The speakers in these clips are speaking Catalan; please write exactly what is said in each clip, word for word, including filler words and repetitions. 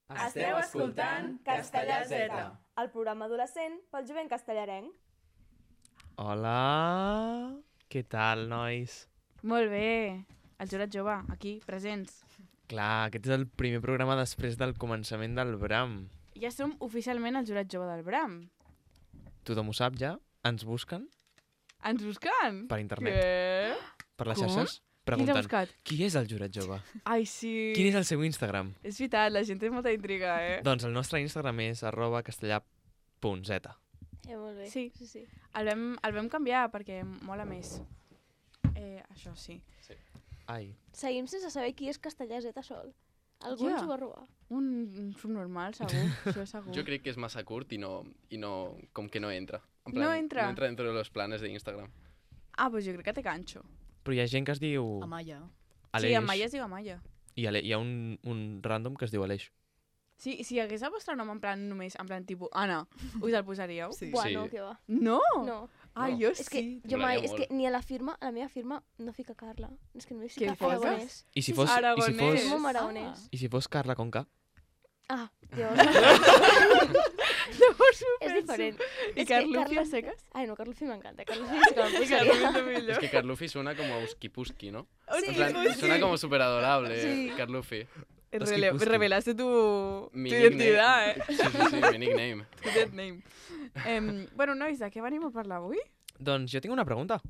Esteu escoltant Castellà Z, el programa adolescent pel jovent castellarenc. Hola, què tal, nois? Molt bé, el jurat jove, aquí, presents. Clar, aquest és el primer programa després del començament del Bram. Ja som oficialment el jurat jove del Bram. Tothom ho sap ja? Ens busquen Ens busquen? per internet, Què? per les Com? xarxes, Qui t'ha preguntant buscat? qui és el jurat jove? Ai, sí. Quin és el seu Instagram? És veritat, la gent té molta intriga, eh? Doncs el nostre Instagram és arroba castellà.z. Eh, molt bé. Sí. sí, sí. El vam, el vam canviar perquè mola més. Eh, això sí. Ai, Seguim sense saber qui és Castellà Z sol. Algú Ja. ens ho va robar. Un, un subnormal, segur. Això és segur. Jo crec que és massa curt i no, i no com que no entra. En No entra? No entra dentro de los planes de Instagram. Ah, doncs jo crec que té ganxo. però hi ha gent que es diu Amaya. Aleix Sí, Amaya es diu Amaya. i Ale hi ha un, un random que es diu Aleix. Sí, si hi hagués el vostre nom en plan només, en plan tipus Anna, us el posaríeu? Sí. Bueno, Sí. què va. No! No. Ai, No. jo És que sí. jo mai, Molaria és que molt. ni a la firma, a la meva firma, no fica Carla. És que només Què fica poses? aragonès. I si Sí, fos, sí. i si Aragonès. fos, És molt aragonès. i si fos Carla con K? Ah, llavors... Llavors ho és penso. diferent. I És que Carlufi Carla- a seques? Ai, no, Carlufi m'encanta. Carlufi és que me'n I posaria. Carlufi millor. Es que Carlufi suena como Uskipuski, ¿no? Sí, En plan, pues suena sí. como súper adorable, Sí. Carlufi. Rele- Uski-puski. Revelaste tu, Mi tu nickname. identidad, eh? Sí, sí, sí, mi nickname. Tu dead name. Em, bueno, nois, de què venim a parlar avui? Doncs jo tinc una pregunta.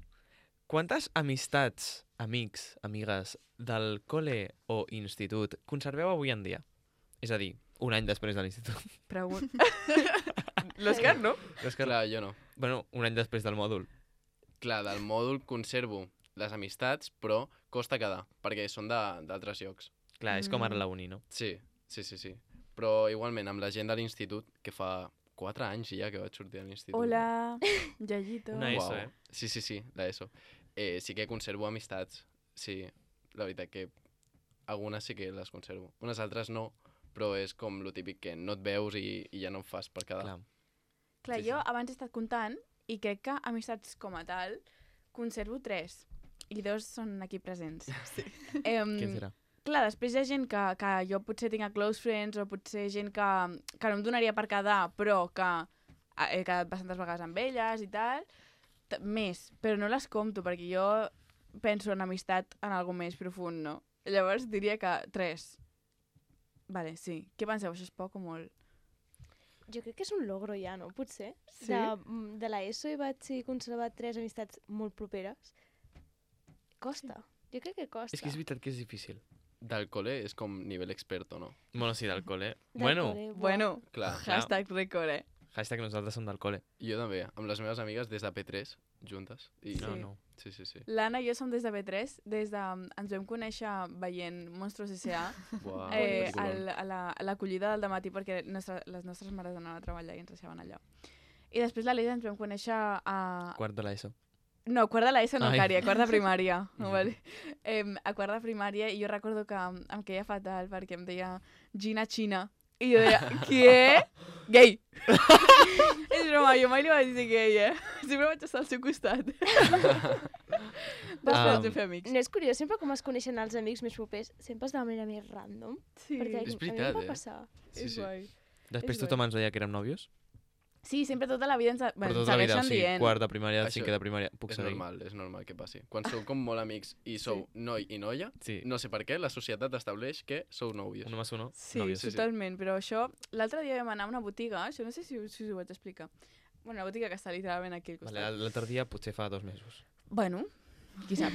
Quantes amistats, amics, amigues del col·le o institut conserveu avui en dia? És a dir, un any després de l'institut. Pregun... L'Òscar, no? És que, Clar, jo no. bueno, un any després del mòdul. Clar, del mòdul conservo les amistats, però costa quedar, perquè són de- d'altres llocs. Clar, és com ara Mm. la uni, no? Sí, sí, sí, sí. Però igualment, amb la gent de l'institut, que fa quatre anys ja que vaig sortir de l'institut. Hola, Yayito. Una ESO, eh? Sí, sí, sí, la ESO. Eh, sí que conservo amistats, sí. La veritat que algunes sí que les conservo. Unes altres no, però és com lo típic que no et veus i, i ja no en fas per quedar. Clar. Clar, Sí, jo sí. abans he estat comptant i crec que amistats com a tal conservo tres. I dos són aquí presents. Sí. Em, Què serà? clar, després hi ha gent que, que jo potser tinc a close friends o potser gent que, que no em donaria per quedar, però que he quedat bastantes vegades amb elles i tal. T més, però no les compto perquè jo penso en amistat en algo més profund, no? Llavors diria que tres. Vale, sí. Què penseu? Això és poc o molt? Jo crec que és un logro ja, no? Potser. Sí? De, mm, de l'ESO hi vaig conservar tres amistats molt properes. Costa. Jo crec que costa. És que és veritat que és difícil. Del col·le és com nivell experto, no? Bueno, sí, del col·le. Del Bueno, col·le, buah. Bueno, Clar, Clar. hashtag record, eh? hashtag nosaltres som del col·le. jo també, amb les meves amigues des de P tres, juntes. I... No, Sí. no. Sí, sí, sí. L'Anna i jo som des de B tres, des de... Ens vam conèixer veient Monstruos S A Uau, eh, peliculón. al, a la- a l'acollida del dematí perquè nostra, les nostres mares anaven a treballar i ens deixaven allà. I després l'Aleix ens vam conèixer a... Quart de l'ESO. No, quart de l'ESO no, Ai. Cari, a quart de primària. No, vale? eh, a quart de primària i jo recordo que em, em queia fatal perquè em deia Gina China. I jo deia, què? Gay! És broma, jo mai li vaig dir gay, eh? Sempre vaig estar al seu costat. Després Ah. ens vam fer amics. No és curiós, sempre com es coneixen els amics més propers, sempre és de la manera més random. Sí. Perquè És a mi em veritat, va eh? passar. Sí, és sí. guai. Després És tothom ens deia que érem nòvios. Sí, sempre tota la vida ens, Per bueno, tota ens la vida, o segueixen sigui, dient. quart de primària, Això cinquè de primària. Puc És seguir? normal, és normal que passi. Quan sou com molt amics i sou noi i noia, Sí. no sé per què, la societat estableix que sou nòvios. Uno más uno, Sí, nòvios. sí, sí. totalment, però això... L'altre dia vam anar a una botiga, això no sé si, us- si us ho vaig explicar. Bueno, una botiga que està literalment aquí al costat. Vale, l'altre dia potser fa dos mesos. Bueno, qui sap.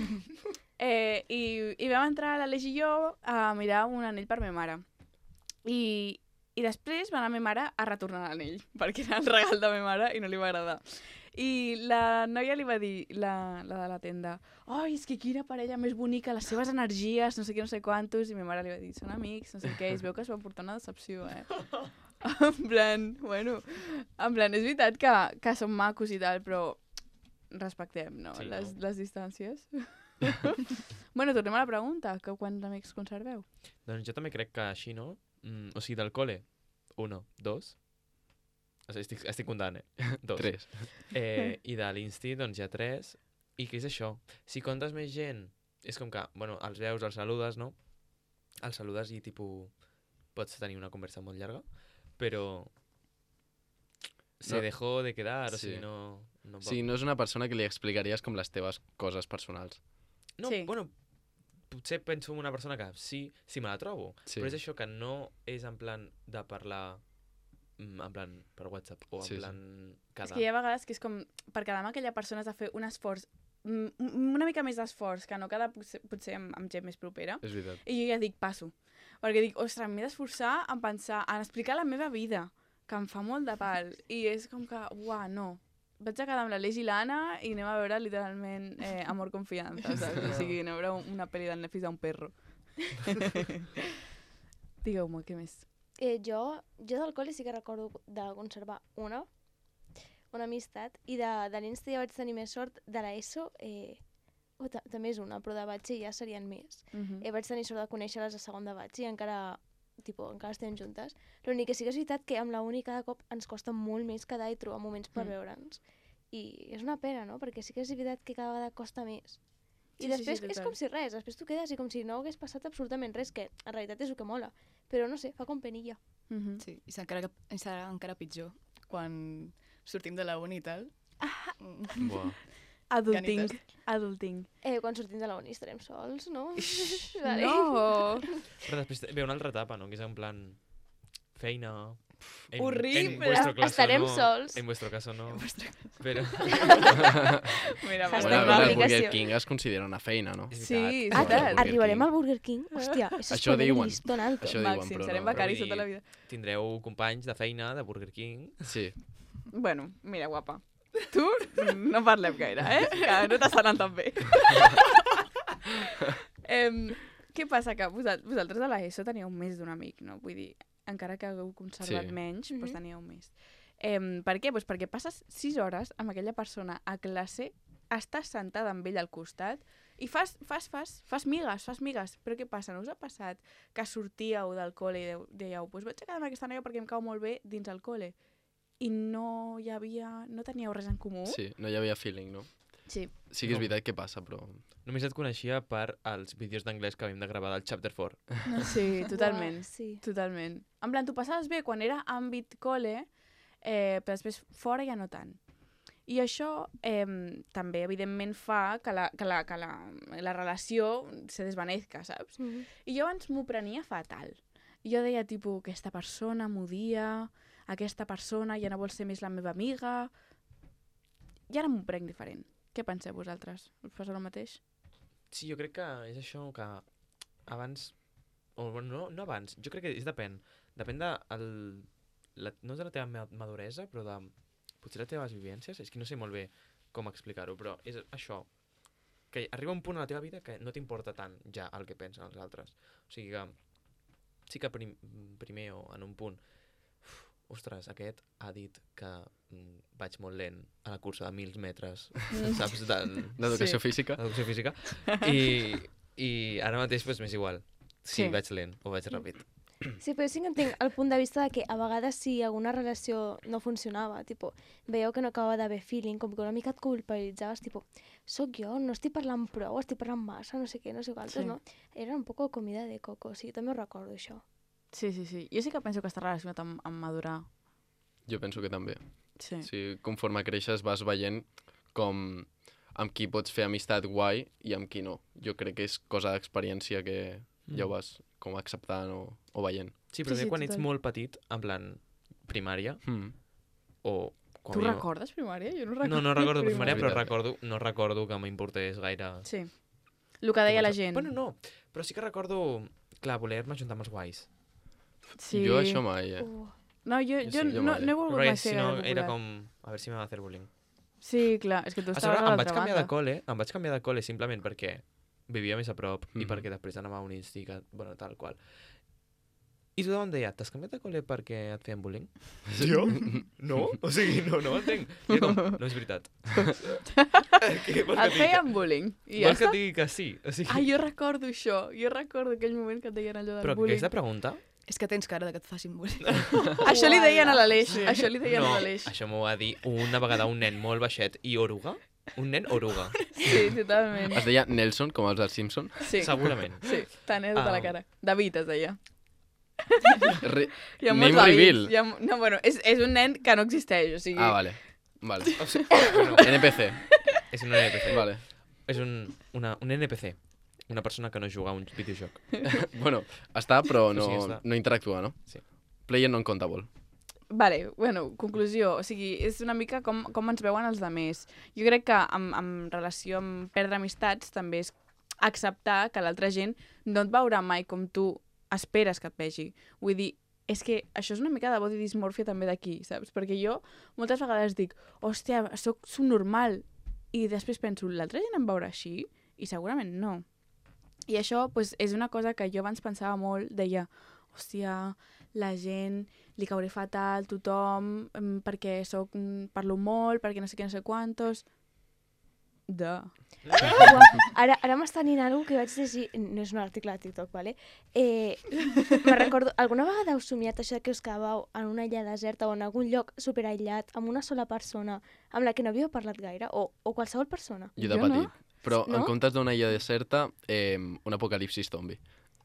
eh, i, I vam entrar l'Aleix i jo a mirar un anell per ma mare. I, I després va anar ma mare a retornar l'anell, perquè era el regal de ma mare i no li va agradar. I la noia li va dir, la, la de la tenda, ai, és que quina parella més bonica, les seves energies, no sé què, no sé quantos, i ma mare li va dir, són amics, no sé què, i es veu que es va portar una decepció, eh? En plan, bueno, en plan, és veritat que, que són macos i tal, però respectem, no? Sí, les, no? les distàncies. Bueno, tornem a la pregunta, que quants amics conserveu? Doncs jo també crec que així, no? Mm, o sigui, del col·le, uno, dos. O sigui, estic, estic comptant, eh? Dos. Tres. Eh, I de l'insti, doncs hi ha tres. I què és això? Si comptes més gent, és com que, bueno, els veus, els saludes, no? Els saludes i, tipus, pots tenir una conversa molt llarga, però se No. dejó de quedar, o Sí. sigui, no... no O sigui, no és una persona que li explicaries com les teves coses personals. No, Sí. bueno, potser penso en una persona que sí, sí me la trobo, Sí. però és això que no és en plan de parlar mm, en plan per WhatsApp o en Sí, sí. plan És quedar. que hi ha vegades que és com, per quedar amb aquella persona has de fer un esforç, mm, una mica més d'esforç, que no quedar potser, potser amb, amb gent més propera. És veritat. I jo ja dic, passo. Perquè dic, ostres, m'he d'esforçar en pensar, en explicar la meva vida, que em fa molt de pal. I és com que, uah, no. Vaig a quedar amb l'Aleix i l'Anna i anem a veure literalment eh, Amor Confiança, saps? O sigui, anem a veure una pel·li del Netflix d'un perro. Digueu-me, què més? Eh, jo, jo del col·le sí que recordo de conservar una, una amistat, i de, de l'Insta ja vaig tenir més sort. De l'ESO, eh, oh, ta també és una, però de batxi ja serien més. Uh -huh. Eh, vaig tenir sort de conèixer-les a segon de batxi i encara, tipo, encara estem juntes. L'únic que sí que és veritat que amb la uni cada cop ens costa molt més quedar i trobar moments per Mm. veure'ns. I és una pena, no? Perquè sí que és veritat que cada vegada costa més. I Sí, sí, després sí, és total. com si res, després tu quedes i com si no hagués passat absolutament res, que en realitat és el que mola. Però no sé, fa com penilla. Uh -huh. Sí, i serà encara, serà encara pitjor quan sortim de la uni i tal. Mm. Buah. Adulting, Ganites. adulting. Eh, quan sortim de la uni estarem sols, no? Vale. No! Però després ve una altra etapa, no? Que és en plan feina... En, Horrible. En vuestro caso Estarem no, sols. En vuestro caso no. Però... Mira, Hashtag Bueno, a una veure, el aplicació. Burger King es considera una feina, no? És Sí, veritat. Ah, és que veritat. Burger arribarem King. al Burger King? Hòstia, això és Això poner diuen. un listón alto. Això diuen, Màxim, però serem no. becaris Vull tota la dir, vida. Tindreu companys de feina de Burger King. Sí. Bueno, mira, guapa. Tu no parlem gaire, eh? Que no t'està anant tan bé. em, què passa? Que vosal- vosaltres a l'ESO teníeu més d'un amic, no? Vull dir, encara que hagueu conservat Sí. menys, Mhm. doncs teníeu més. Em, per què? Pues perquè passes sis hores amb aquella persona a classe, estàs sentada amb ell al costat i fas, fas, fas, fas migues, fas migues. Però què passa? No us ha passat que sortíeu del col·le i deu- dèieu pues vaig a quedar amb aquesta noia perquè em cau molt bé dins el col·le i no hi havia... no teníeu res en comú? Sí, no hi havia feeling, no? Sí. Sí que és No. veritat que passa, però... Només et coneixia per als vídeos d'anglès que havíem de gravar del Chapter quatre. Sí, totalment. Uah, sí. Totalment. En plan, t'ho passaves bé quan era àmbit col·le, eh, però després fora ja no tant. I això eh, també, evidentment, fa que la, que la, que la, la relació se desvanezca, saps? Mhm. I jo abans m'ho prenia fatal. I jo deia, tipus, aquesta persona m'odia, aquesta persona ja no vol ser més la meva amiga... I ara m'ho prenc diferent. Què penseu vosaltres? Us passa el mateix? Sí, jo crec que és això que abans... O, bueno, no, no abans, jo crec que és depèn. Depèn de... El, la, no de la teva ma- maduresa, però de... Potser les teves vivències. És que no sé molt bé com explicar-ho, però és això. Que arriba un punt a la teva vida que no t'importa tant ja el que pensen els altres. O sigui que sí que prim, primer o en un punt uf, ostres, aquest ha dit que mm, vaig molt lent a la cursa de mil metres, saps? De, D'educació Sí. física? Educació física. I, i ara mateix pues, m'és igual si Sí. vaig lent o vaig ràpid. Sí, però sí que entenc el punt de vista de que a vegades si alguna relació no funcionava, tipo, veieu que no acabava d'haver feeling, com que una mica et culpabilitzaves, tipo, soc jo, no estic parlant prou, estic parlant massa, no sé què, no sé quantos, Sí. no? Era un poco comida de coco, sí, també ho recordo, això. Sí, sí, sí. Jo sí que penso que està relacionat amb, amb madurar. Jo penso que també. Sí. O sigui, conforme creixes vas veient com amb qui pots fer amistat guai i amb qui no. Jo crec que és cosa d'experiència que ja ho vas com acceptant o, o veient. Sí, però Sí, sí, sí, quan ets total. molt petit, en plan primària, Mm. o... Com Tu jo- recordes primària? Jo no recordo. No, no recordo primària, però Veritat. recordo, no recordo que m'importés gaire... Sí. El que deia la començar. gent. Bueno, no, però sí que recordo, clar, voler-me juntar amb els guais. Sí. Jo això mai, eh? Uh, No, jo, Jo jo, sí, jo no, mai. no he volgut Perquè mai ser si no, gaire era popular. com... A veure si me va fer bullying. Sí, clar, és que tu A estaves sobre, a em vaig l'altra canviar banda. de col·le, em vaig canviar de col·le simplement perquè vivia més a prop i Mhm. perquè després anava a un institut, bueno, tal qual. I tothom em deia, t'has canviat de col·le perquè et feien bullying? Jo? No? O sigui, no, no ho entenc. I era com, no és veritat. Què vols que Et et digui? feien bullying. I ja Vols que està. et digui que sí? O sigui, Ah, jo recordo això. Jo recordo aquell moment que et deien allò del però bullying. aquesta pregunta... És que tens cara de que et facin bullying. Això li deien a l'Aleix. Sí. Això li deien No, a l'Aleix. això m'ho va dir una vegada un nen molt baixet i oruga. Un nen oruga, Sí, totalment. Es deia Nelson, com els dels Simpson? Sí, segurament. sí. Tenia tota Ah. la cara. David es deia. Re... Hi ha Name molts hàbits. reveal. Hi ha... No, bueno, és, és un nen que no existeix, o sigui... Ah, vale. Vale. O sigui, bueno, N P C. és un N P C. Vale. És un, una, un N P C. Una persona que no juga a un videojoc. Bueno, està, però no, Sí, està. no interactua, no? Sí. Player non-countable. Vale, bueno, conclusió. O sigui, és una mica com, com ens veuen els demés. Jo crec que en, en relació amb perdre amistats també és acceptar que l'altra gent no et veurà mai com tu esperes que et vegi. Vull dir, és que això és una mica de body dysmorphia també d'aquí, saps? Perquè jo moltes vegades dic, hòstia, soc subnormal. I després penso, l'altra gent em veurà així? I segurament no. I això pues, és una cosa que jo abans pensava molt, deia, hòstia, la gent li cauré fatal, tothom, mm, perquè soc, mm, parlo molt, perquè no sé què, no sé quantos... De. Uau, ara ara m'està anint alguna que vaig llegir, no és un article de TikTok, vale? Eh, me recordo, alguna vegada heu somiat això que us quedàveu en una illa deserta o en algun lloc superaïllat amb una sola persona amb la que no havíeu parlat gaire? O, o qualsevol persona? Jo de Jo no. petit. Però No? en comptes d'una illa deserta, eh, un apocalipsis zombi.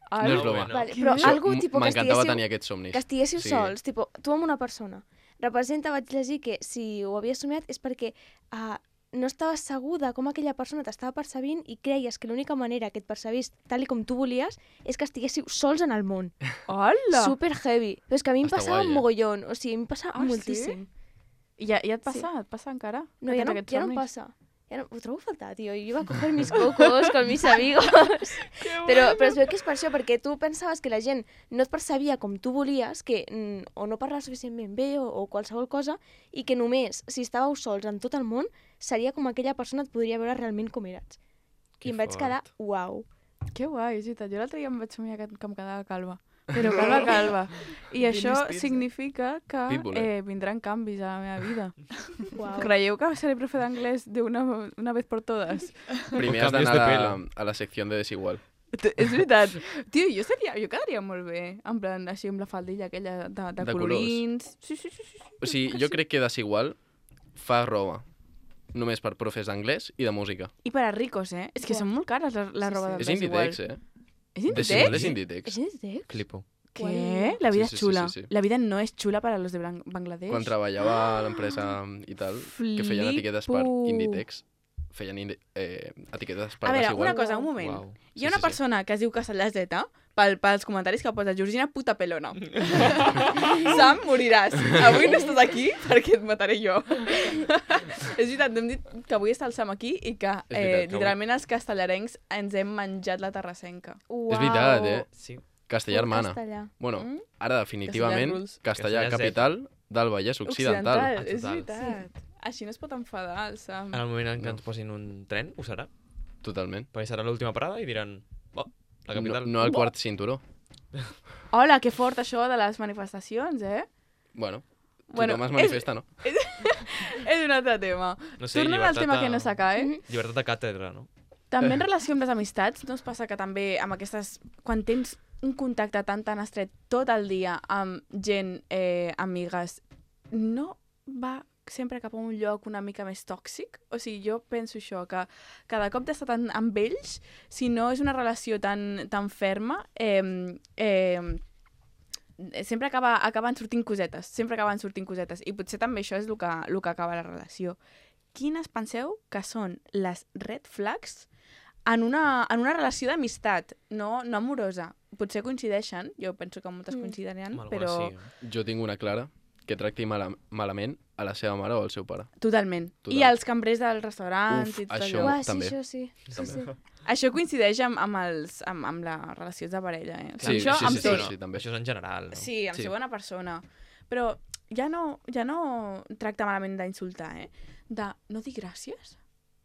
Ai, No és no, broma. bueno. Vale, Què? però Això algú M- tipo, que M'encantava estiguéssiu, tenir aquests somnis. que estiguéssiu Sí. sols, tipo, tu amb una persona. Representa, vaig llegir que si ho havies somiat és perquè uh, no estaves segur de com aquella persona t'estava percebint i creies que l'única manera que et percebís tal i com tu volies és que estiguéssiu sols en el món. Hola! Super heavy. Però és que a mi em Està passava guai, un eh? mogollon. O sigui, em passa Ah, sí? moltíssim. I ja, ja et Sí. passa? Et passa encara? No, Que ja tens no, aquests ja no em somnis? passa. Ja no, ho trobo a faltar, tio. Jo iba a coger mis cocos con mis amigos. però, però es veu que és per això, perquè tu pensaves que la gent no et percebia com tu volies, que mm, o no parlaves suficientment bé o, o qualsevol cosa, i que només, si estàveu sols en tot el món, seria com aquella persona et podria veure realment com eres. Que I em vaig fort. quedar, uau. Que guai, és veritat. Jo l'altre dia em vaig somiar que, que em quedava calva. Però calva, calva. I això Spears, eh? significa que Pitbull, eh? eh, vindran canvis a la meva vida. uau. Creieu que seré profe d'anglès d'una una vez por todas? Primer has Canvios d'anar de a, la- pelo. a la secció de desigual. T- És veritat. Tio, jo, seria, jo quedaria molt bé, en plan, així amb la faldilla aquella de, de, De colorins. Sí, sí, sí, sí. O sigui, jo crec que desigual fa roba només per profes d'anglès i de música. I per a ricos, eh? És que Buah. són molt cares la, la Sí, roba sí. de És desigual. Inditex, eh? És Desigual Inditex? és Inditex. És Inditex? Flipo. Què? La vida Sí, sí, és sí, xula. sí, sí. La vida no és xula per a los de Bang- Bangladesh. Quan treballava a l'empresa i tal, que feien etiquetes per Flipo. Inditex, feien indi eh, etiquetes per A veure, desigual. una cosa, un moment. Uau. Hi ha Sí, una sí, sí. persona que es diu Castellaseta pel, pels comentaris que posa Georgina puta pelona. Sam, moriràs. Avui no estàs aquí perquè et mataré jo. És veritat, no hem dit que avui està el Sam aquí i que, És veritat, eh, que avui- literalment els castellarencs ens hem menjat la terrassenca. Uau. És veritat, eh? Sí. Castellà hermana. Castellà. Bueno, Mm? ara definitivament, rules. castellà Castellà capital del Vallès Occidental. Ah, és total. veritat. Així no es pot enfadar el Sam. En el moment en què No. ens posin un tren, ho serà. Totalment. Perquè serà l'última parada i diran, oh, la No, capital. no al quart cinturó. Hola, que fort això de les manifestacions, eh? Bueno, Bueno, tothom es és- manifesta, no? És un altre tema. No sé, Tornem al llibertat tema a- que no s'acaba, eh? Mhm. Llibertat de càtedra, no? També en relació amb les amistats, no us passa que també amb aquestes... Quan tens un contacte tan tan estret tot el dia amb gent, eh, amigues, no va sempre cap a un lloc una mica més tòxic? O sigui, jo penso això, que cada cop d'estar tan amb ells, si no és una relació tan, tan ferma, eh, eh, sempre acaba, acaben sortint cosetes, sempre acaben sortint cosetes. I potser també això és el que, el que acaba la relació. Quines penseu que són les red flags en una, en una relació d'amistat, no, no amorosa? Potser coincideixen, jo penso que moltes Mm. coincidiran, Amb alguna però sí, eh? Jo tinc una clara, que tracti mala malament a la seva mare o al seu pare. totalment. Total. I els cambrers dels restaurants Uf, i tot això- allò. Uau, sí, també. això sí. sí, sí. Això coincideix amb, amb, els, amb, amb les relacions de parella, eh? O sigui, Sí, això sí, amb sí, tot. sí, sí, també. Això és en general, no? Sí, amb Sí. ser bona persona. Però ja no, ja no tracta malament d'insultar, eh? De no dir gràcies?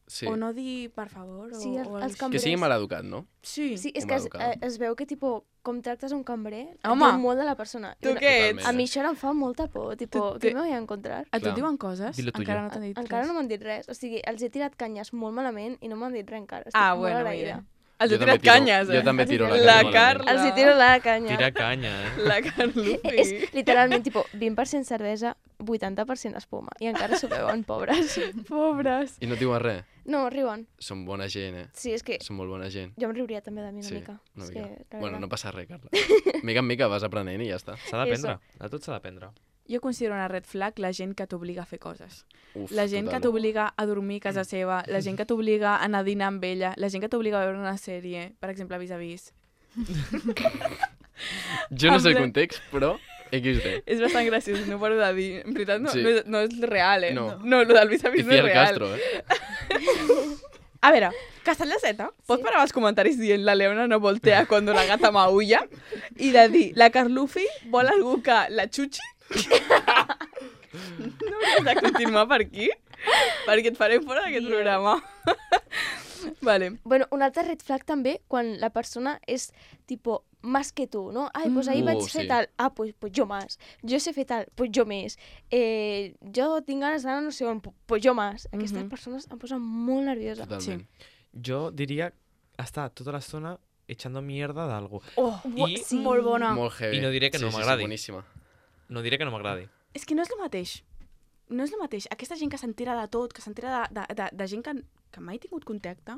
Sí. O no dir per favor? O, Sí, els- o els així. Que cambrers. sigui maleducat, no? Sí. Sí, és Com que a es, educada. eh, es veu que, tipo, com tractes un cambrer, et Home, diu molt de la persona. Tu I què ets? Totalment. A mi això em fa molta por, tipo, Tu- què tu- me voy a encontrar? A tu Clar. et diuen coses? Dilo tu Encara jo. no t'han dit Encara res. no m'han dit res. O sigui, els he tirat canyes molt malament i no m'han dit res encara. Estic Ah, molt bueno, agraïda. mira. Els Jo he també tirat tiro- canyes, eh? jo també tiro la La canya malament. Carla. Els hi tiro la canya. Tira canya, eh? La Eh, Carlufi. És literalment, tipo, vint per cent cervesa, vuitanta per cent espuma. I encara s'ho veuen, pobres. Pobres. I no et diuen res. No, riuen. Són bona gent, eh? Sí, és que Són molt bona gent. jo em riuria també de mi una Sí, mica. una És mica. que, la Bueno, veritat. no passa res, Carla. Mica en mica vas aprenent i ja està. S'ha d'aprendre. A tot s'ha d'aprendre. Jo considero una red flag la gent que t'obliga a fer coses. Uf, La gent que total. t'obliga a dormir a casa seva, la gent que t'obliga a anar a dinar amb ella, la gent que t'obliga a veure una sèrie, per exemple, Vis a Vis. Jo no sé el En plan- context, però equis de. És bastant graciós, no paro de dir. En veritat, no, Sí. no, és, no és real, eh? No. No, lo del Vis a I Vis no és Ciel real. Castro, eh? A veure, Castella Z, pots Sí. parar els comentaris dient la Leona no voltea cuando la gata maulla? I de dir, la Carlufi vol algú que la xutxi? No hauries de continuar per aquí? Perquè et farem fora d'aquest Bien. programa. Vale. Bueno, un altre red flag també, quan la persona és, tipo, más que tu, no? Ai, pues ahir Mm. vaig Uh, fer sí. tal. Ah, pues, pues jo más. Jo sé fer tal. Pues jo més. Eh, jo tinc ganes d'anar no sé on. pu- Pues jo más. Aquestes Mhm. persones em posen molt nerviosa. Totalment. Jo diria estar tota l'estona echando mierda d'algú. Oh, I- sí. molt bona. Molt heavy. I no diré que no sí, m'agradi. Sí, sí, boníssima. No diré que no m'agradi. És que no és el mateix. No és el mateix. Aquesta gent que s'entera de tot, que s'entera de, de, de, de gent que, que mai ha tingut contacte,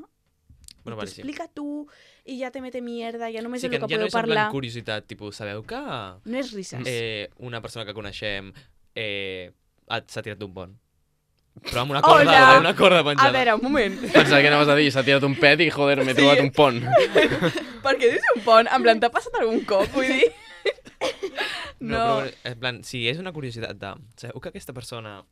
Bueno, i vale, sí. t'explica tu, i ja te mete mierda, ja només Sí, és que el que ja no podeu és en plan parlar. curiositat, tipus, sabeu que No és risses. eh, una persona que coneixem eh, ha- s'ha tirat d'un pont? Però amb una Hola! corda, amb una corda A penjada. veure, un moment. Pensava que anaves a dir, s'ha tirat un pet i, joder, m'he Sí. trobat un pont. Per què dius un pont? En plan, t'ha passat algun cop, vull dir? No, No. però, en plan, si és una curiositat de... Sabeu que aquesta persona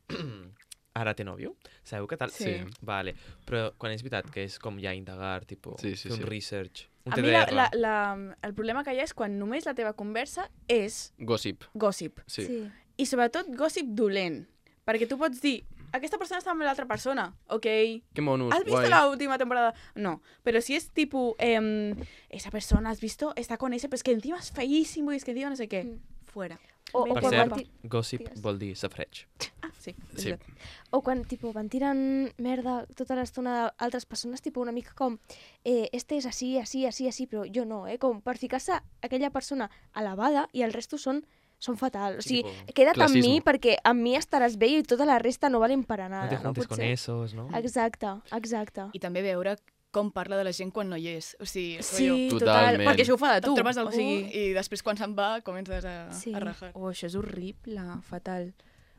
ara té nòvio? Sabeu que tal? Sí. Vale. Però quan és veritat que és com ja indagar, tipus, Sí, sí, fer un sí. research, un A T mi D la, R... la, la, el problema que hi ha és quan només la teva conversa és Gossip, gossip. sí. Sí. I sobretot gossip dolent. Perquè tu pots dir, aquesta persona està amb l'altra persona, ok? Que monos, ¿Has visto guai. la última temporada? No, pero si es tipo, em, esa persona, ¿has visto? Está con ese, pues que encima es feísimo y es que encima no sé qué. Mm. Fuera. O, o, Ven, Per quan cert, van ti- gossip Digues. vol dir safreig. Ah, sí. és Sí. veritat. o quan tipo, van tirant merda tota l'estona d'altres persones, tipo, una mica com eh, este és així, així, així, així, però jo no, eh? Com per ficar-se aquella persona elevada i el resto són, són fatal. O Sí, sigui, tipo, queda't amb mi classismo. perquè amb mi estaràs bé i tota la resta no valen per a No nada. te No, juntes pot con ser. esos, no? Exacte, exacte. I també veure com parla de la gent quan no hi és. O sigui, Sí, rotllo, total. Totalment. Perquè això ho fa de et tu. trobes algú O sigui, i després quan se'n va comences a, Sí. a rajar. oh, això és horrible, fatal.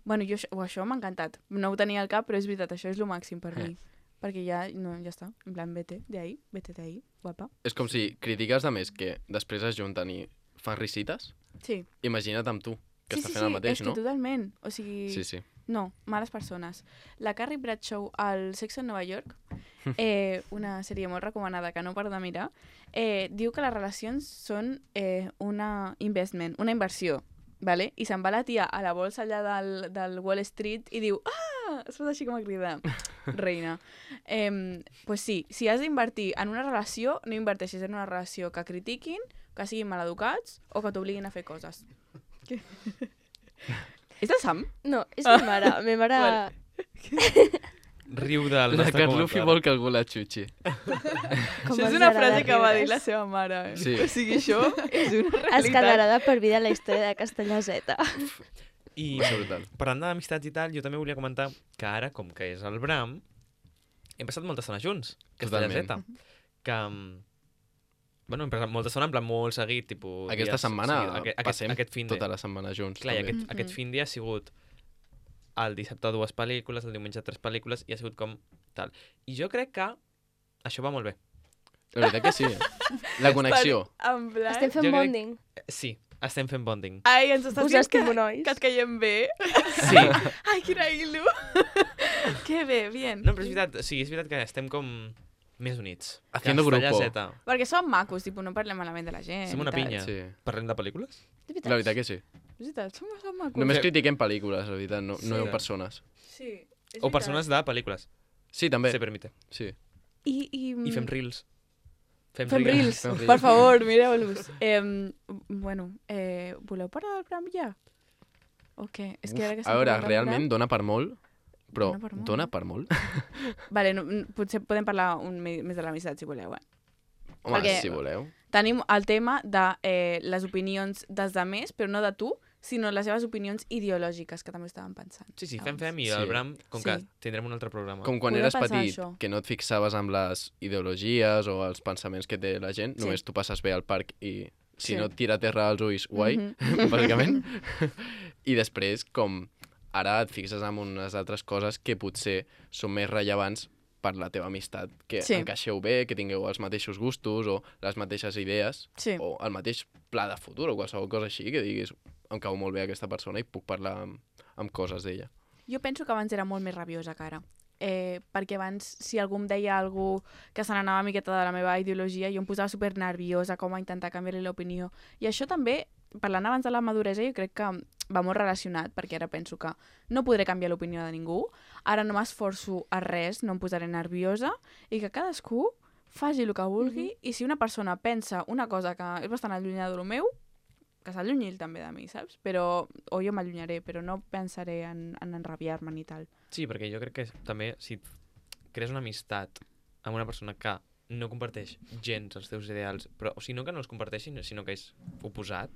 Bueno, jo, això- oh, això m'ha encantat. No ho tenia al cap, però és veritat, això és el màxim per mi. Perquè ja, no, ja està. En plan, vete de ahí, vete de ahí, guapa. És com si critiques de més que després es junten i fan risites. Sí. Imagina't amb tu, que sí, està sí, fent sí, el mateix, és no? que totalment. O sigui, Sí, sí. no, males persones. La Carrie Bradshaw al Sexo en Nova York, eh, una sèrie molt recomanada que no paro de mirar, eh, diu que les relacions són eh, una investment, una inversió, ¿vale? I se'n va la tia a la bolsa allà del, del Wall Street i diu, ah, es pot així com a cridar, reina. Eh, pues sí, si has d'invertir en una relació, no inverteixis en una relació que critiquin, que siguin maleducats o que t'obliguin a fer coses. Què? És el Sam? No, és mi mare. Mi mare... Vale. Riu del La nostre Carlufi comentari. vol que algú la xutxi. Com Això és els una agrada frase que va dir riure's. la seva mare. Eh? Sí. O sigui, això és una Es realitat. quedarà de per vida la història de Castellà Z. I Va ser brutal. parlant d'amistats i tal, jo també volia comentar que ara, com que és el Bram, hem passat molta estona junts, Castellà Z. Totalment. Que, mm, bueno, hem passat molta estona, en plan molt seguit, tipus... Aquesta dies- setmana sí, aquest, aquest, passem aquest fin de... tota la setmana junts. Clar, i també. aquest, Mhm. aquest fin de ha sigut el dissabte dues pel·lícules, el diumenge tres pel·lícules, i ha sigut com tal. I jo crec que això va molt bé. La veritat que sí. eh? La connexió. En plan... Estem fent Jo crec- bonding. Eh, Sí, estem fent bonding. Ai, ens estàs Us dient que, estimo, nois. que et caiem bé. Sí. Ai, quina il·lu. que bé, bien. No, però és veritat, sí, és veritat que estem com més units. Haciendo Castellà grupo. Z. Perquè som macos, tipus, no parlem malament de la gent. Som una i tal. pinya. Sí. Parlem de pel·lícules? De veritat. La veritat que sí. És veritat, som, som macos. Només Sí. critiquem pel·lícules, la veritat, no, no Sí. persones. Sí, és O veritat. persones de pel·lícules. Sí, també. Se permite. Sí. I, i, I fem reels. Fem reels, Fem reels. per favor, mireu-los. Eh, bueno, eh, voleu parar del Bram ja? O què? És que ara que A estem veure, parlant del realment dona per molt, però Dona per molt, dona eh? per molt? Bram- Vale, no, n- potser podem parlar un, me- més de l'amistat, si voleu, eh? Home, Perquè- si voleu. Tenim el tema de eh, les opinions dels altres, però no de tu, sinó les seves opinions ideològiques, que també estàvem pensant. Sí, sí, fem, abans. fem, i Sí. el Bram, com que Sí. tindrem un altre programa. Com quan Podem eres pensar petit, això. que no et fixaves amb les ideologies o els pensaments que té la gent, Sí. només tu passes bé al parc i si Sí. no et tira a terra als ulls, guai, Mhm. bàsicament. I després, com ara et fixes en unes altres coses que potser són més rellevants per la teva amistat, que Sí. encaixeu bé, que tingueu els mateixos gustos o les mateixes idees Sí. o el mateix pla de futur o qualsevol cosa així, que diguis em cau molt bé aquesta persona i puc parlar amb, amb coses d'ella. Jo penso que abans era molt més rabiosa que ara. Eh, perquè abans, si algú em deia algú que se n'anava una miqueta de la meva ideologia, jo em posava super nerviosa com a intentar canviar-li l'opinió. I això també, parlant abans de la maduresa, jo crec que va molt relacionat, perquè ara penso que no podré canviar l'opinió de ningú, ara no m'esforço a res, no em posaré nerviosa, i que cadascú faci el que vulgui, i si una persona pensa una cosa que és bastant allunyada del meu, que s'allunyi ell també de mi, saps? Però, o jo m'allunyaré, però no pensaré en, en enrabiar-me ni tal. Sí, perquè jo crec que també si crees una amistat amb una persona que no comparteix gens els teus ideals, però, o sigui, no que no els comparteixi, sinó que és oposat,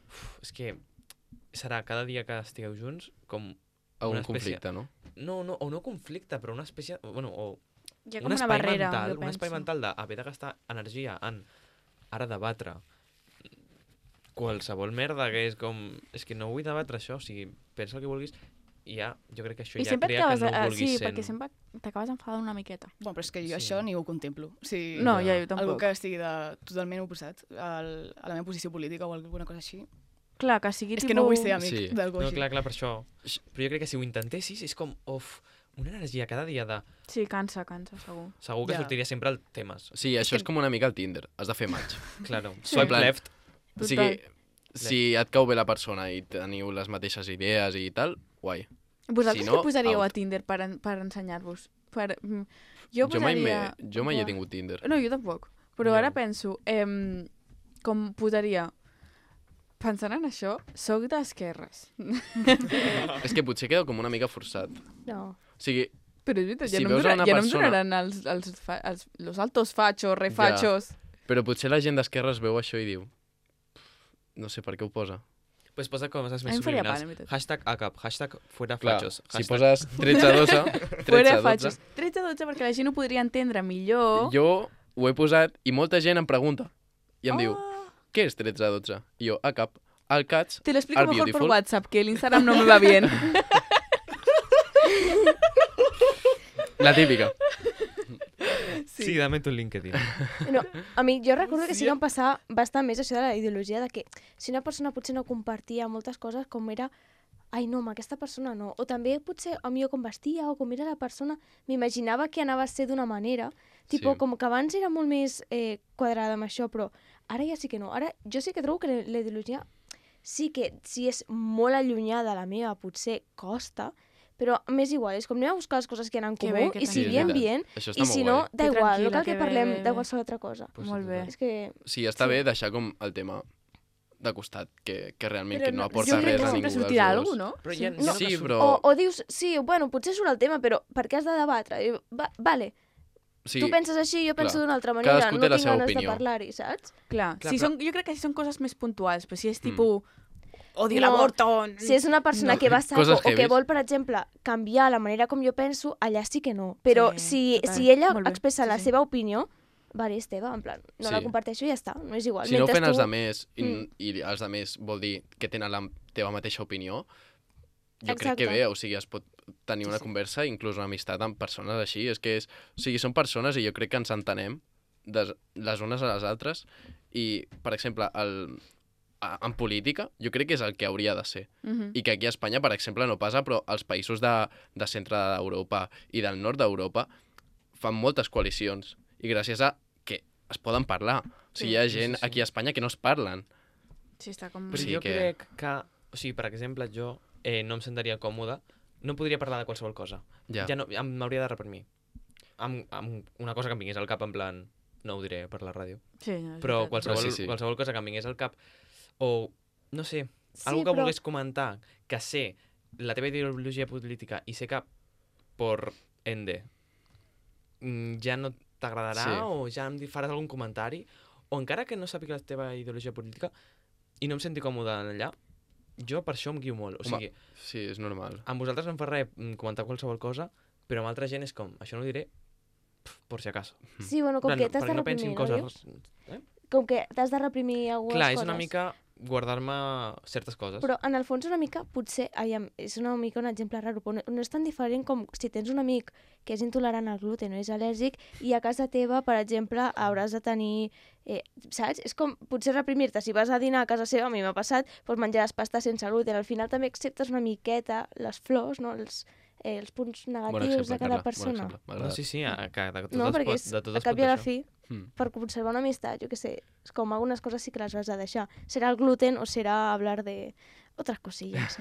uf, és que serà cada dia que estigueu junts com A un una espècie... conflicte, no? No, no, o no conflicte, però una espècie... Bueno, o Hi ha un com una espai barrera, mental, jo un espai penso. mental d'haver de gastar energia en ara debatre qualsevol merda que és com... És que no vull debatre això, o sigui, pensa el que vulguis i ja, jo crec que això I ja sempre et crea que acabes... no eh, ho vulguis sí, sent. perquè sempre t'acabes enfadant una miqueta. Bueno, però és que jo Sí. això ni ho contemplo. O sigui, No, Ja. ja, jo tampoc. algú que estigui de, totalment oposat al, a la meva posició política o alguna cosa així. Clar, que sigui És tipus... que no vull ser amic Sí. d'algú No, així. clar, clar, per això. Però jo crec que si ho intentessis és com, uf, una energia cada dia de... Sí, cansa, cansa, segur. Segur que Ja. sortiria sempre el temes. Sí, això és com una mica el Tinder, has de fer match. Claro, Sí. swipe plan- left. O sigui, Total. si et cau bé la persona i teniu les mateixes idees i tal, guai. Vosaltres Si què no, posaríeu out. a Tinder per, en, per ensenyar-vos? Per, mm, jo Jo mai, posaria... m'he- jo mai he Buah. tingut Tinder. No, jo tampoc. Però Jo. ara penso, eh, com posaria... Pensant en això, soc d'esquerres. És que potser queda com una mica forçat. No. O sigui, Però és veritat, ja, Si no, em veus a donarà, una ja no em persona- donaran els, els, fa, els, los altos fachos, refachos. però potser la gent d'esquerres veu això i diu no sé per què ho posa. Pues posa coses A més mi em faria subliminals. pal, en veritat. Hashtag ACAP, hashtag fuera Clar, fachos. si hashtag... poses tretze dotze, Fuera tretze dotze, fachos. tretze dotze perquè la gent ho podria entendre millor. jo ho he posat i molta gent em pregunta i em diu, Oh. què és tretze dotze? I jo, ACAP, al Cats, Te lo explico Are mejor por beautiful. WhatsApp, que el Instagram no me va bien. la típica. Sí, dame tu LinkedIn. No, a mi, jo recordo que sí que em passava bastant més això de la ideologia de que si una persona potser no compartia moltes coses com era ai no, amb aquesta persona no, o també potser a mi com vestia o com era la persona, m'imaginava que anava a ser d'una manera, tipo, Sí. com que abans era molt més eh, quadrada amb això, però ara ja sí que no. Ara jo sí que trobo que la la ideologia sí que si és molt allunyada de la meva potser costa, però m'és igual, és com anem a buscar les coses que hi ha en Que comú bé, que i tant. si Sí, hi ha és veritat. ambient, Això està i molt si guai. no, da Que igual, no tranquil·la, cal que que bé, parlem bé, de bé. qualsevol altra cosa. Pues Molt sí, bé. total. És que... Sí, està Sí. bé deixar com el tema de costat, que, que realment Però que no no- aporta jo crec res que a sempre ningú dels sortirà dos. alguna cosa, no? Però ja, Sí. ja no Sí, que surt- però- O, o dius, sí, bueno, potser surt el tema, però per què has de debatre? I, va, vale, Sí, tu penses així, jo penso clar. d'una altra manera, Cadascú no té la tinc seva ganes opinió. de parlar-hi, saps? Clar, Clar, si però- són, jo crec que si són coses més puntuals, però si és Mm. tipus... Odio No, l'avorto... Si és una persona No. que va a saco Coses o que heavies. vol, per exemple, canviar la manera com jo penso, allà sí que no. Però Sí, si, total. si ella Molt bé, expressa sí, la sí. seva opinió, vale, és teva, en plan, no la Sí. comparteixo i ja està, no és igual. si no ho Mentre fem els tu- demés i, Mm. i els demés vol dir que tenen la teva mateixa opinió, jo crec Exacte. que bé, o sigui, es pot tenir Sí, una sí. conversa, inclús una amistat amb persones així, és que és, o sigui, són persones i jo crec que ens entenem des, les unes a les altres i, per exemple, el, a, en política, jo crec que és el que hauria de ser. Mhm. I que aquí a Espanya, per exemple, no passa, però els països de, de centre d'Europa i del nord d'Europa fan moltes coalicions i gràcies a que es poden parlar. O sigui, Sí, hi ha sí, gent sí, sí. aquí a Espanya que no es parlen. Sí, està com... Però Sí jo que- crec que... O sigui, per exemple, jo eh, no em sentiria còmode, no podria parlar de qualsevol cosa. Ja. Ja no, em- m'hauria de reprimir. Amb, amb una cosa que em vingués al cap, en plan, no ho diré per la ràdio, Sí, no, és però veritat. qualsevol, sí, sí. qualsevol cosa que em vingués al cap, o, no sé, Sí, algú que però- volgués comentar, que sé la teva ideologia política i sé que por ende mm, ja no t'agradarà Sí. o ja em di- faràs algun comentari, o encara que no sàpiga la teva ideologia política i no em senti còmode allà, jo per això em guio molt. O Home, sigui, Sí, és normal. amb vosaltres no em fa res mm, comentar qualsevol cosa, però amb altra gent és com, això no ho diré pf, por si acaso. Sí, bueno, com En que plan, t'has de perquè no reprimir, pensin no, coses... dius? Eh? Com que t'has de reprimir algunes Clar, coses. és una mica guardar-me certes coses. Però en el fons una mica, potser, aviam, és una mica un exemple raro, però no, no és tan diferent com si tens un amic que és intolerant al gluten o és al·lèrgic i a casa teva, per exemple, hauràs de tenir, eh, saps? És com potser reprimir-te. Si vas a dinar a casa seva, a mi m'ha passat, doncs menjaràs pasta sense gluten. Al final també acceptes una miqueta les flors, no? els, eh, els punts Bon negatius exemple, de cada Carla, bon persona. exemple. M'ha No, agradat. sí, sí, a, que de tot No, es perquè pot, és, de tot a es cap pot i a la això. fi, Mm. per conservar una amistat, jo què sé, és com algunes coses sí que les has de deixar. Serà el gluten o serà hablar de otras cosillas.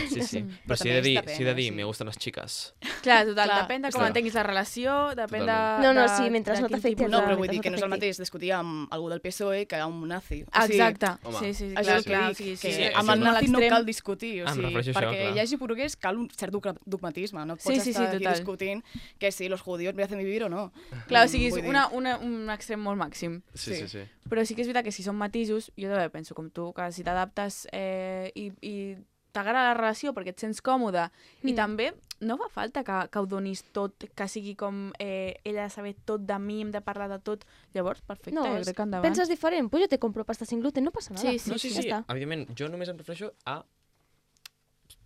Sí, sí. Mm. Però Però si he també de és dir, depèn, si he de eh, dir, sí. me gusten les chicas. Clar, total, Clar, depèn de com clar. entenguis la relació, depèn de... Totalment. No, no, de- sí, mentre de no quin t'afecti tipus el No, de- però vull que dir que no és el t'afecti. mateix discutir amb algú del P S O E que amb un nazi. O Ah, sigui, exacte, Home, sí, sí, Això clar, és el que clar, dic, sí, sí, que sí, amb això el és nazi no l'extrem. cal discutir, o Ah, em sigui, refereixo a això, perquè clar. hi hagi poruguès cal un cert dogma- dogmatisme, no pots Sí, sí, sí, estar aquí total. discutint que si los judíos merecen vivir o no. Clar, o Mm, sigui, és vull dir- una, una, un extrem molt màxim. Sí, sí, Sí. sí. Però sí que és veritat que si són matisos, jo també penso com tu, que si t'adaptes eh, i, i t'agrada la relació perquè et sents còmode, mm. i Mm. també no fa falta que, que ho donis tot, que sigui com eh, ella ha de saber tot de mi, hem de parlar de tot. Llavors, perfecte, No, jo és- crec que endavant. Penses diferent? Pues yo te compro pasta sin gluten, no passa nada. Sí, sí, No, sí, ja sí, està. evidentment, jo només em refereixo a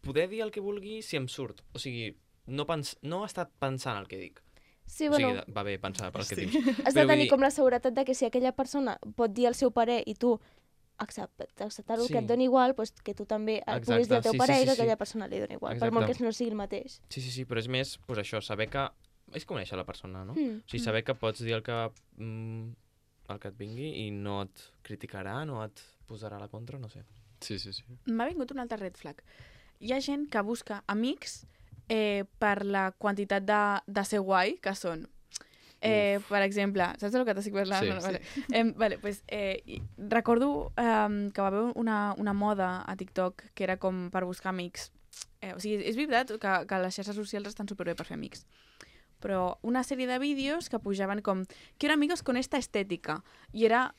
poder dir el que vulgui si em surt. O sigui, no, pens no estar pensant el que dic. Sí, O bueno, sigui, va bé pensar per el que Sí. dius. has de però vull tenir dir- com la seguretat de que si aquella persona pot dir el seu parer i tu accept- acceptar-ho, Sí. que et doni igual, pues que tu també Exacte, puguis dir al teu sí, sí, parer sí, i que sí. aquella persona li doni igual, per molt Exacte. que no sigui el mateix. Sí, sí, sí, però és més, pues això, saber que... És conèixer la persona, no? Mm. O sigui, saber que pots dir el que, mm, el que et vingui i no et criticarà, no et posarà a la contra, no sé. Sí, sí, sí. M'ha vingut un altre red flag. Hi ha gent que busca amics eh, per la quantitat de, de ser guai que són. Eh, per exemple, saps del que t'estic parlant? Sí, no, no, sí. vale. Eh, vale, pues, eh, i- recordo eh, que va haver una, una moda a TikTok que era com per buscar amics. Eh, o sigui, és veritat que, que les xarxes socials estan superbé per fer amics. Però una sèrie de vídeos que pujaven com «Quiero amigos con esta estética». I era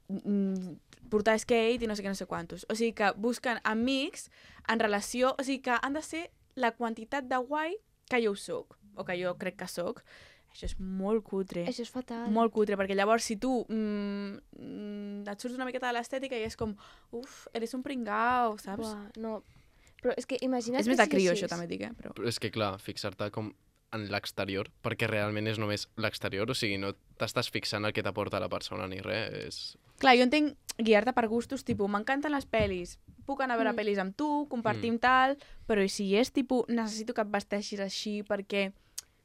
mm, portar skate i no sé què, no sé quantos. O sigui que busquen amics en relació... O sigui que han de ser la quantitat de guai que jo ho soc, o que jo crec que soc. Això és molt cutre. Això és fatal. Molt cutre, perquè llavors si tu mm, mm, et surts una miqueta de l'estètica i és com, uf, eres un pringao, saps? Buah, no. Però és que imagina't És que més de sigui crio, així. això també dic, eh? Però... Però és que, clar, fixar-te com en l'exterior, perquè realment és només l'exterior, o sigui, no t'estàs fixant el que t'aporta la persona ni res, és... Clar, jo entenc guiar-te per gustos, tipus, m'encanten les pel·lis, puc anar a veure Mm. pel·lis amb tu, compartim Mm. tal, però i si és tipus, necessito que et vesteixis així perquè,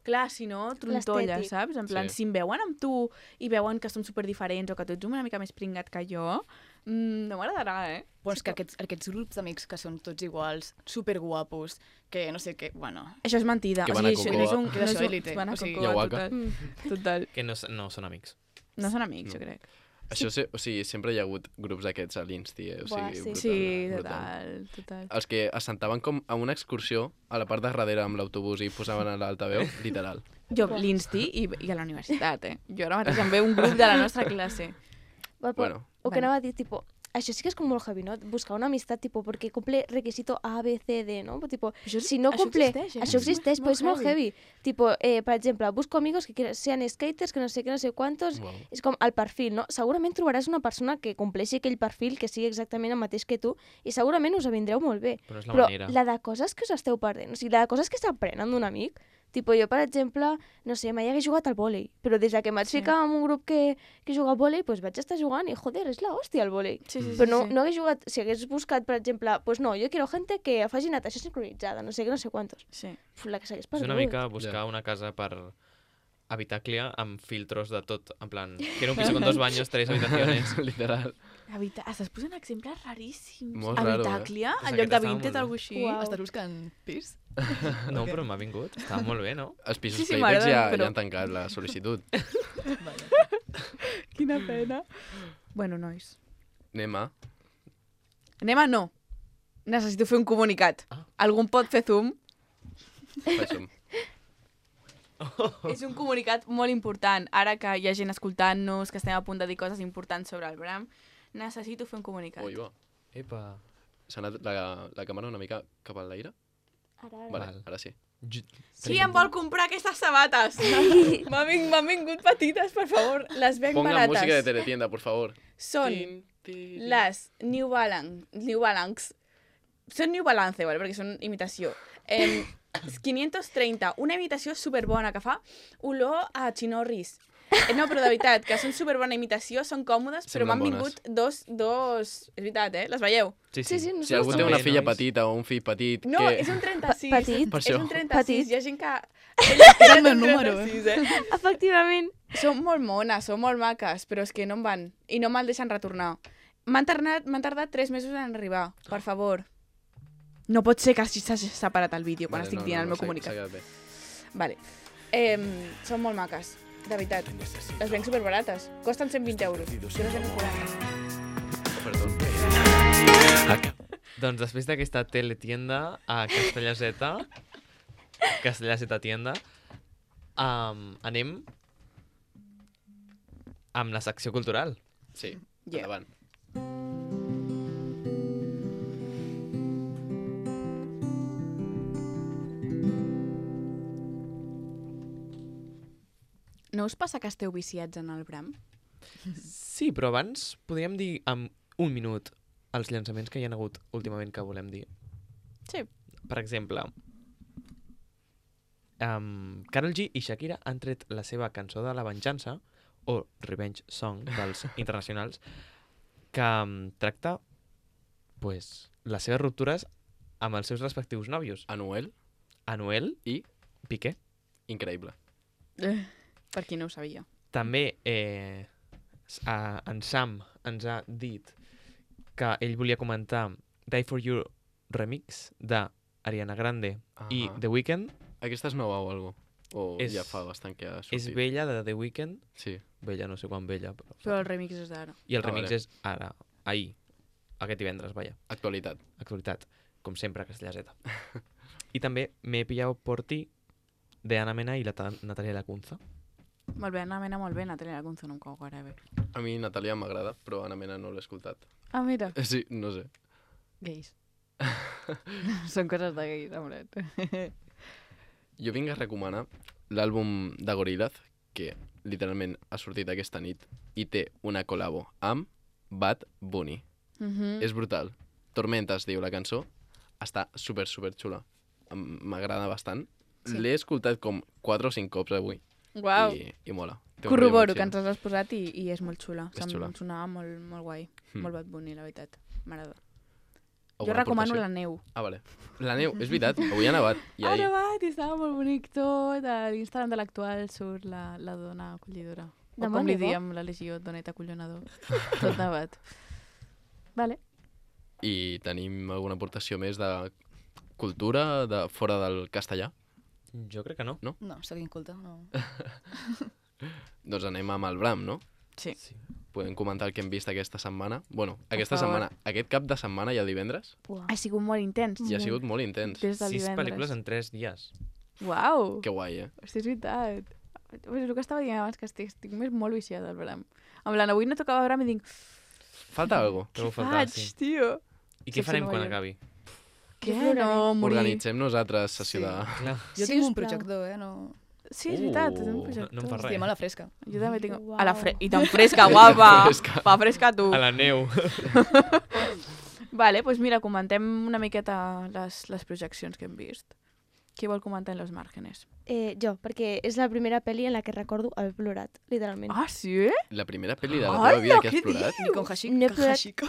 clar, si no, trontolla, L'estètic. saps? En plan, Sí. si em veuen amb tu i veuen que som superdiferents o que tu ets una mica més pringat que jo, mm, no m'agradarà, eh? Però és que aquests, aquests grups d'amics que són tots iguals, superguapos, que no sé què, bueno... Això és mentida. Que o van a sigui, això no és Cocoa. un... Que no d'això és un- élite, van a o sigui- Cocoa, Yahuaca. total. Mm. Total. Que no, s- no són amics. No són amics, No. jo crec. Això, se, o sigui, sempre hi ha hagut grups d'aquests a l'Insti, eh? O Buah, sigui, sí. brutal, Sí, brutal. total, total. Els que es sentaven com a una excursió a la part de darrere amb l'autobús i posaven a l'altaveu, literal. Jo, Buah. l'Insti i, i a la universitat, eh? Jo ara mateix em ve un grup de la nostra classe. Bueno, però, Bueno, o que Bueno. anava a dir, tipo, això sí que és com molt heavy, no? Buscar una amistat, tipo, perquè cumple requisito A, B, C, D, no? Tipo, Això, si no això cumple... existeix, eh? Això existeix, però és molt heavy. Tipo, eh, per exemple, busco amigos que quieran- sean skaters, que no sé què, no sé quantos... wow. És com el perfil, no? Segurament trobaràs una persona que compleixi aquell perfil, que sigui exactament el mateix que tu, i segurament us avindreu molt bé. Però és la Però manera. la de coses que us esteu perdent, o sigui, la de coses que s'aprenen d'un amic, tipo, jo, per exemple, no sé, mai hagués jugat al vòlei, però des de que em vaig Sí. ficar en un grup que, que juga al vòlei, pues vaig estar jugant i, joder, és l'hòstia el vòlei. Sí, sí, sí, Però no, sí. no hagués jugat, si hagués buscat, per exemple, pues no, jo quiero gente que faci natació sincronitzada, no sé què, no sé quantos. Sí. Uf, la que s'hagués És perdut. una mica buscar Ja. una casa per habitaclia amb filtros de tot, en plan, quiero un piso con dos baños, tres habitaciones. literal. Habita... Estàs posant exemples raríssims. Molt raro, eh? Habitaclia, Pues en lloc aquest de estava Vinted, molt bé. alguna així. Uau. Estàs buscant pis? No, Ok. però m'ha vingut, estava molt bé, no? Els pisos Sí, sí, Playtex m'agrada, ja, però- ja han tancat la sol·licitud. Vale. Quina pena. Bueno, nois. Anem a... Anem a no. Necessito fer un comunicat. Ah. Algú em pot fer zoom? Faig-ho. És un comunicat molt important. Ara que hi ha gent escoltant-nos, que estem a punt de dir coses importants sobre el Bram, necessito fer un comunicat. Ui, va. Epa. S'ha anat la, la càmera una mica cap a l'aire? Ara, ara. Vale, Val. ara sí. J- Sí, em vol comprar aquestes sabates. M'han ving, m'han vingut petites, per favor. Les venc Ponga barates. música de teletienda, por favor. Són Tin, tin. les New Balance. New Balance. Són New Balance, ¿vale? Perquè són imitació. Eh, quinientos treinta, una imitació superbona que fa olor a xinorris. Eh, no, però de veritat, que són superbona imitació, són còmodes, però Semblen m'han vingut dos, dos... És veritat, eh? Les veieu? Sí, Sí, sí, no Si algú té També, una filla nois. petita o un fill petit No, que... és un trenta-sis. Pa- petit. Per És això. un trenta-sis. Petit. Hi ha gent que... És el meu número, eh? trenta-sis, eh? Efectivament. Són molt mones, són molt maques, però és que no em van. I no me'l deixen retornar. M'han tardat, m'han tardat tres mesos en arribar, per favor. No pot ser que hagi- s'hagi separat el vídeo quan Vale, estic no, dient no, el no, meu s'ha- comunicat. s'ha quedat bé. Vale. Eh, són molt maques, de veritat. Les venc superbarates. Costen cent vint euros. Jo les venc quaranta. Perdó. Doncs després d'aquesta teletienda a Castellà Z, Castellà Z tienda, um, anem amb la secció cultural. Sí, Yeah. endavant. No us passa que esteu viciats en el Bram? Sí, però abans podríem dir en un minut els llançaments que hi ha hagut últimament que volem dir. Sí. Per exemple, um, Karol G i Shakira han tret la seva cançó de la venjança, o Revenge Song dels internacionals, que um, tracta pues, les seves ruptures amb els seus respectius nòvios. Anuel, Anuel I? Piqué. increïble. Eh, per qui no ho sabia. També eh, s- a, en Sam ens ha dit que ell volia comentar Die For You remix d'Ariana Grande i Ahà. The Weeknd. Aquesta és nova o alguna cosa? O És- ja fa bastant que ha sortit? És vella de The Weeknd. Sí. Vella, no sé quan vella. Però... Però el remix és d'ara. I el Ah, remix vale. és ara, ahir, aquest divendres, vaja. Actualitat. Actualitat, com sempre, a Castellà Z. I també M'he pillado por ti, de Ana Mena i la Ta- Natalia Lacunza. Molt bé, Ana Mena, molt bé. Natalia Lacunza no em cau gaire bé. A mi Natàlia m'agrada, però Ana Mena no l'he escoltat. Ah, mira. Sí, no sé. Gais. Són coses de gais, amret. Jo vinc a recomanar l'àlbum de Gorillaz, que literalment ha sortit aquesta nit i té una col·labo amb Bad Bunny. Mhm. És brutal. Tormenta es diu la cançó. Està super, super xula. Em- M'agrada bastant. Sí. L'he escoltat com quatre o cinc cops avui. Uau. I, i mola. Té un Corroboro rotllo que molt ens has posat i, i és molt xula. És Se'm xula. sonava molt, molt guai. Hmm. Molt Bad Bunny, la veritat. M'agrada. chill. Jo Alguna recomano aportació? la neu. Ah, vale. La neu, és veritat. Avui ha nevat. I Ha ahir... nevat i estava molt bonic tot. A l'Instagram de l'actual surt la, la dona acollidora. O Demà com li neva? diem la legió, donet acollonador. Tot nevat. Vale. I tenim alguna aportació més de cultura de fora del castellà? Jo crec que no. No, sóc inculta, no. Doncs anem amb el Bram, no? Sí. Sí. Podem comentar el que hem vist aquesta setmana. Bueno, aquesta favor. setmana, aquest cap de setmana i el divendres, Buah. Ha sigut molt intens. i ha sigut molt intens. Des del Sis divendres. pel·lícules en tres dies. Uau! Que guai, eh? Hosti, és veritat. És el que estava dient abans, que estic, estic més molt viciada al Bram. En plan, avui no tocava Bram i dic, Falta algo. Trobo què a faltar, faig, sí. tio? I què Sense farem Nova quan York. acabi? Què? ploraré. No, morir. Organitzem nosaltres sessió Sí. de... Clar. Jo Sí, tinc un sisplau. projector, eh? No... Sí, és veritat, és un Uh, projector. no em fa res. Estem a la fresca. Jo també tinc... Uau. A la fre... I tan fresca, guapa! Fresca. Va fresca tu! A la neu. Vale, doncs mira, comentem una miqueta les, les projeccions que hem vist. Qui vol comentar en los márgenes? Eh, jo, perquè és la primera pel·li en la que recordo haver plorat, literalment. Ah, sí? La primera pel·li de la Hola, teva vida que has què plorat. Ni con Hashiko. No he plorat. Hashiko.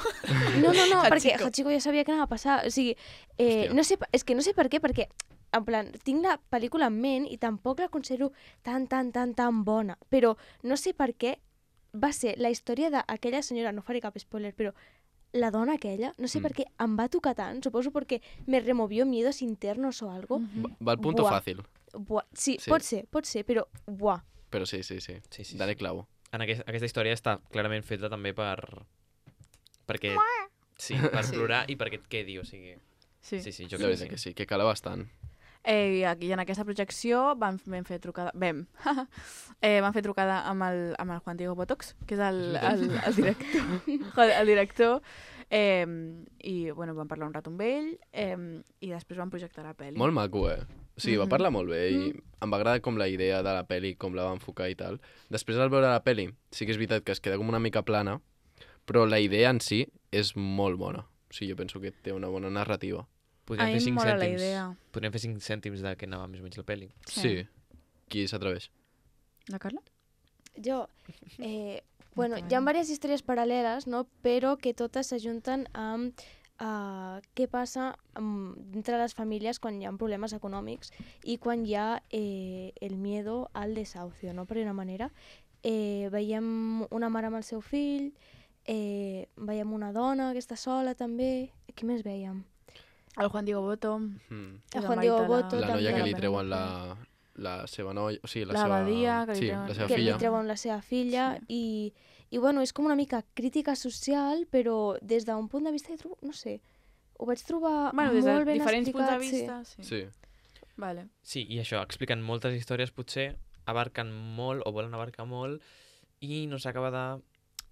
No, no, no, perquè Hachiko. Hachiko ja sabia que anava a passar. O sigui, eh, Hòstia. no sé, és que no sé per què, perquè en plan, tinc la pel·lícula en ment i tampoc la considero tan, tan, tan, tan bona. Però no sé per què va ser la història d'aquella senyora, no faré cap spoiler, però la dona aquella, no sé Mm. per què em va tocar tant, suposo perquè me removió miedos internos o algo. Mhm. Va al punto Buah. fàcil. Buah, sí, Sí. pot ser, pot ser, però buah. Però sí, sí, sí. Sí, sí, Dale sí. clavo. En aquest, aquesta història està clarament feta també per... Perquè... Sí, per Sí. plorar i perquè et quedi, o sigui... Sí. Sí, sí, jo La crec veritat que que sí. sí, que cala bastant. Eh, i, aquí, en aquesta projecció vam, vam fer trucada... Vam. eh, vam fer trucada amb el, amb el Juan Diego Botox, que és el, el, el director. Joder, el director. Eh, I, bueno, vam parlar un rato amb ell eh, i després vam projectar la pel·li. Molt maco, eh? O sigui, va Mhm. parlar molt bé i em va agradar com la idea de la peli, com la va enfocar i tal. Després, al veure la peli, sí que és veritat que es queda com una mica plana, però la idea en si és molt bona. O sigui, jo penso que té una bona narrativa. A Podríem mi fer em cinc mola la cèntims. idea. Podríem fer cinc cèntims de què anava més o menys la pel·li. Sí. Sí. Qui s'atreveix? La Carla? Jo, eh, bueno, Endavant. hi ha diverses històries paral·leles, no? Però que totes s'ajunten amb uh, què passa um, entre les famílies quan hi ha problemes econòmics i quan hi ha eh, el miedo al desahucio, no? Per una manera. Eh, veiem una mare amb el seu fill, eh, veiem una dona que està sola també. Qui més veiem? El Juan Diego Boto. Mm. que El és Juan marit Diego de Boto La noia també. que li la treuen la, pel·lícula. la seva noia... O sigui, la, La seva... abadia, que li sí, treuen- la seva que filla. li treuen la seva filla Sí. i, i bueno, és com una mica crítica social, però des d'un punt de vista, jo trobo, no sé, ho vaig trobar Bueno, des de molt ben diferents punts de explicat, vista. Sí. Sí. Vale. Sí, i això, expliquen moltes històries, potser abarquen molt o volen abarcar molt i no s'acaba de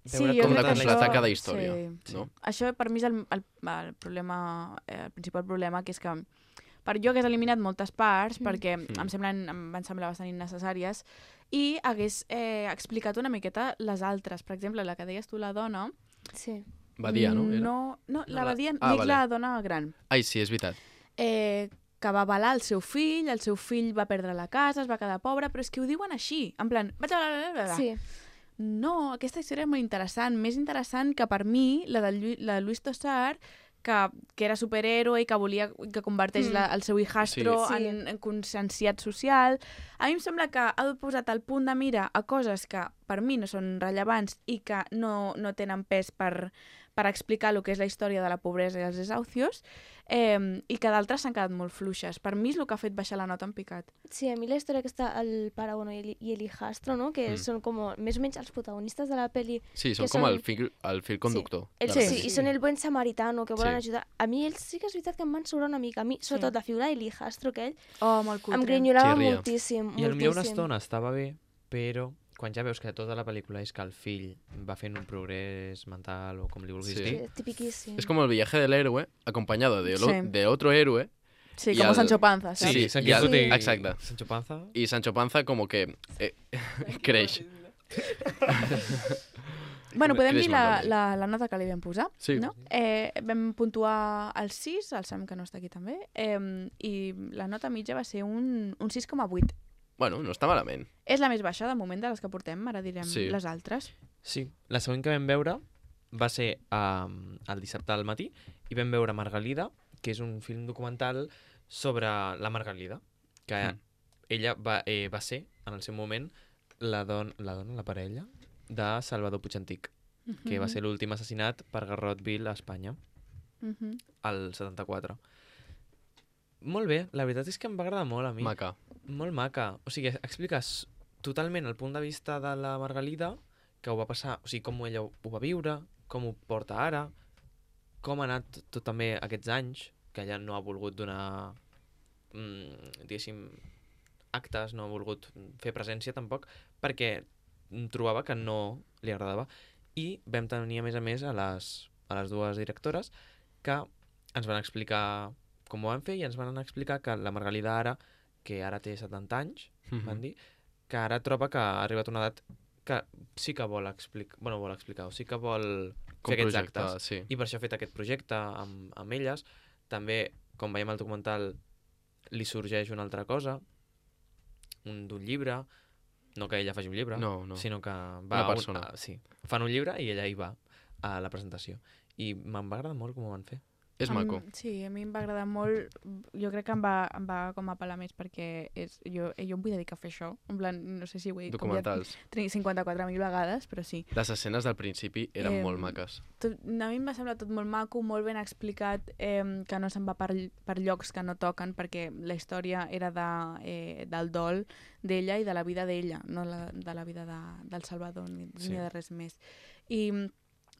Sí, veure jo Com crec de que completar això- cada història, sí. no? Això per mi és el, el, el problema, eh, el principal problema, que és que per jo hagués eliminat moltes parts Mm. perquè Mm. em, semblen, em van semblar bastant innecessàries i hagués eh, explicat una miqueta les altres. Per exemple, la que deies tu, la dona... Sí. Badia, no? Era? No, no la la- Badia, Ah, dic vale. la dona gran. Ai, sí, és veritat. Eh, que va avalar el seu fill, el seu fill va perdre la casa, es va quedar pobre, però és que ho diuen així, en plan... Vaig a... Sí, No, aquesta història és molt interessant, més interessant que per mi la de, Llu la de Luis Tosar, que, que era superhéroe i que volia que converteix Mm. la, el seu hijastro Sí. Sí. en, en conscienciat social. A mi em sembla que ha posat el punt de mira a coses que per mi no són rellevants i que no, no tenen pes per, per explicar el que és la història de la pobresa i els desahucios, eh, i que d'altres s'han quedat molt fluixes. Per mi és el que ha fet baixar la nota en picat. sí, a mi la història que està el pare bueno, i el, i el hijastro, no? que Mm. són com més o menys els protagonistes de la pel·li. Sí, són Que com són- el fil, el fil conductor. El, de sí, la sí, pel·li. i són el buen samaritano, que volen Sí. ajudar. A mi ells sí que és veritat que em van sobrar una mica. A mi, sobretot, la figura de l'hijastro aquell, Oh, molt cutre. em grinyorava Xirria. moltíssim, I potser una moltíssim. estona estava bé, però quan ja veus que tota la pel·lícula és que el fill va fent un progrés mental o com li vulguis Sí. dir, Sí, tipiquíssim. Es como el viaje del héroe acompañado de, lo- Sí. de otro héroe Sí, I com el- Sancho Panza, Sí, saps? sí, San i el- Quijote i exacte. Sancho Panza. y Sancho Panza como que eh, creix. Bueno, podem Creix dir la, molt, la, la nota que li vam posar, Sí. no? Eh, vam puntuar el sis, el Sam que no està aquí també, eh, i la nota mitja va ser un, un sis coma vuit. Bueno, no està malament. És la més baixa de moment de les que portem, ara direm Sí. les altres. Sí, la següent que vam veure va ser um, el dissabte al matí i vam veure Margalida, que és un film documental sobre la Margalida, que Mm. ella va, eh, va ser, en el seu moment, la, don la dona, la parella, de Salvador Puigantic, que va ser l'últim assassinat per Garrotville a Espanya, Mhm. al setanta-quatre. Molt bé, la veritat és que em va agradar molt a mi. Maca. Molt maca. O sigui, expliques totalment el punt de vista de la Margalida, que ho va passar, o sigui, com ella ho, ho va viure, com ho porta ara, com ha anat tot també aquests anys, que ella no ha volgut donar, mm, diguéssim, actes, no ha volgut fer presència tampoc, perquè trobava que no li agradava. I vam tenir, a més a més, a les, a les dues directores que ens van explicar com ho van fer i ens van explicar que la Margalida ara, que ara té setanta anys, van dir, que ara troba que ha arribat a una edat que sí que vol explicar, bueno, vol explicar, o sí que vol Com fer aquests projectar, actes. sí. I per això ha fet aquest projecte amb, amb elles. També, com veiem al documental, li sorgeix una altra cosa, un d'un llibre, no que ella faci un llibre, No, no. sinó que va Una a un- persona. a- sí, fan un llibre i ella hi va a la presentació. I me'n va agradar molt com ho van fer. És Em- maco. Sí, a mi em va agradar molt. Jo crec que em va, em va com apel·lar més perquè és, jo, jo em vull dedicar a fer això. En plan, no sé si ho he dit com ja Documentals. cinquanta-quatre mil vegades, però sí. Les escenes del principi eren Em, molt maques. Tot, a mi em va semblar tot molt maco, molt ben explicat, eh, que no se'n va per, per llocs que no toquen, perquè la història era de, eh, del dol d'ella i de la vida d'ella, no la, de la vida de, del Salvador ni, Sí. ni de res més. I,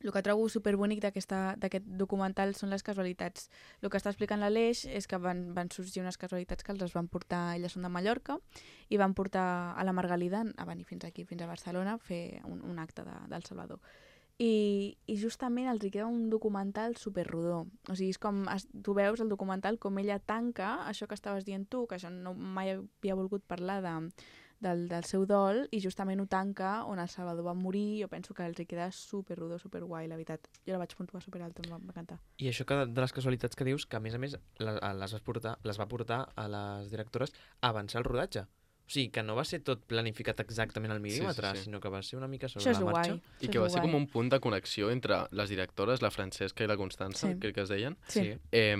el que trobo superbonic d'aquesta- d'aquest documental són les casualitats. El que està explicant l'Aleix és que van, van sorgir unes casualitats que els van portar, elles són de Mallorca, i van portar a la Margalida a venir fins aquí, fins a Barcelona, a fer un, un acte de, del Salvador. I, I justament els hi queda un documental superrodó. O sigui, és com, es, tu veus el documental com ella tanca això que estaves dient tu, que això no mai havia volgut parlar de, del, del seu dol, i justament ho tanca on el Salvador va morir. Jo penso que els hi queda superrodó, superguai, la veritat. Jo la vaig puntuar superalta, em va va encantar. I això que de, de les casualitats que dius, que a més a més les, les, vas portar, les va portar a les directores a avançar el rodatge. O sigui, que no va ser tot planificat exactament al mil·límetre, sí, sí. sinó que va ser una mica sobre Això és la marxa. guai. I Això que és va ser guai. com un punt de connexió entre les directores, la Francesca i la Constança, Sí. crec que es deien, Sí. eh,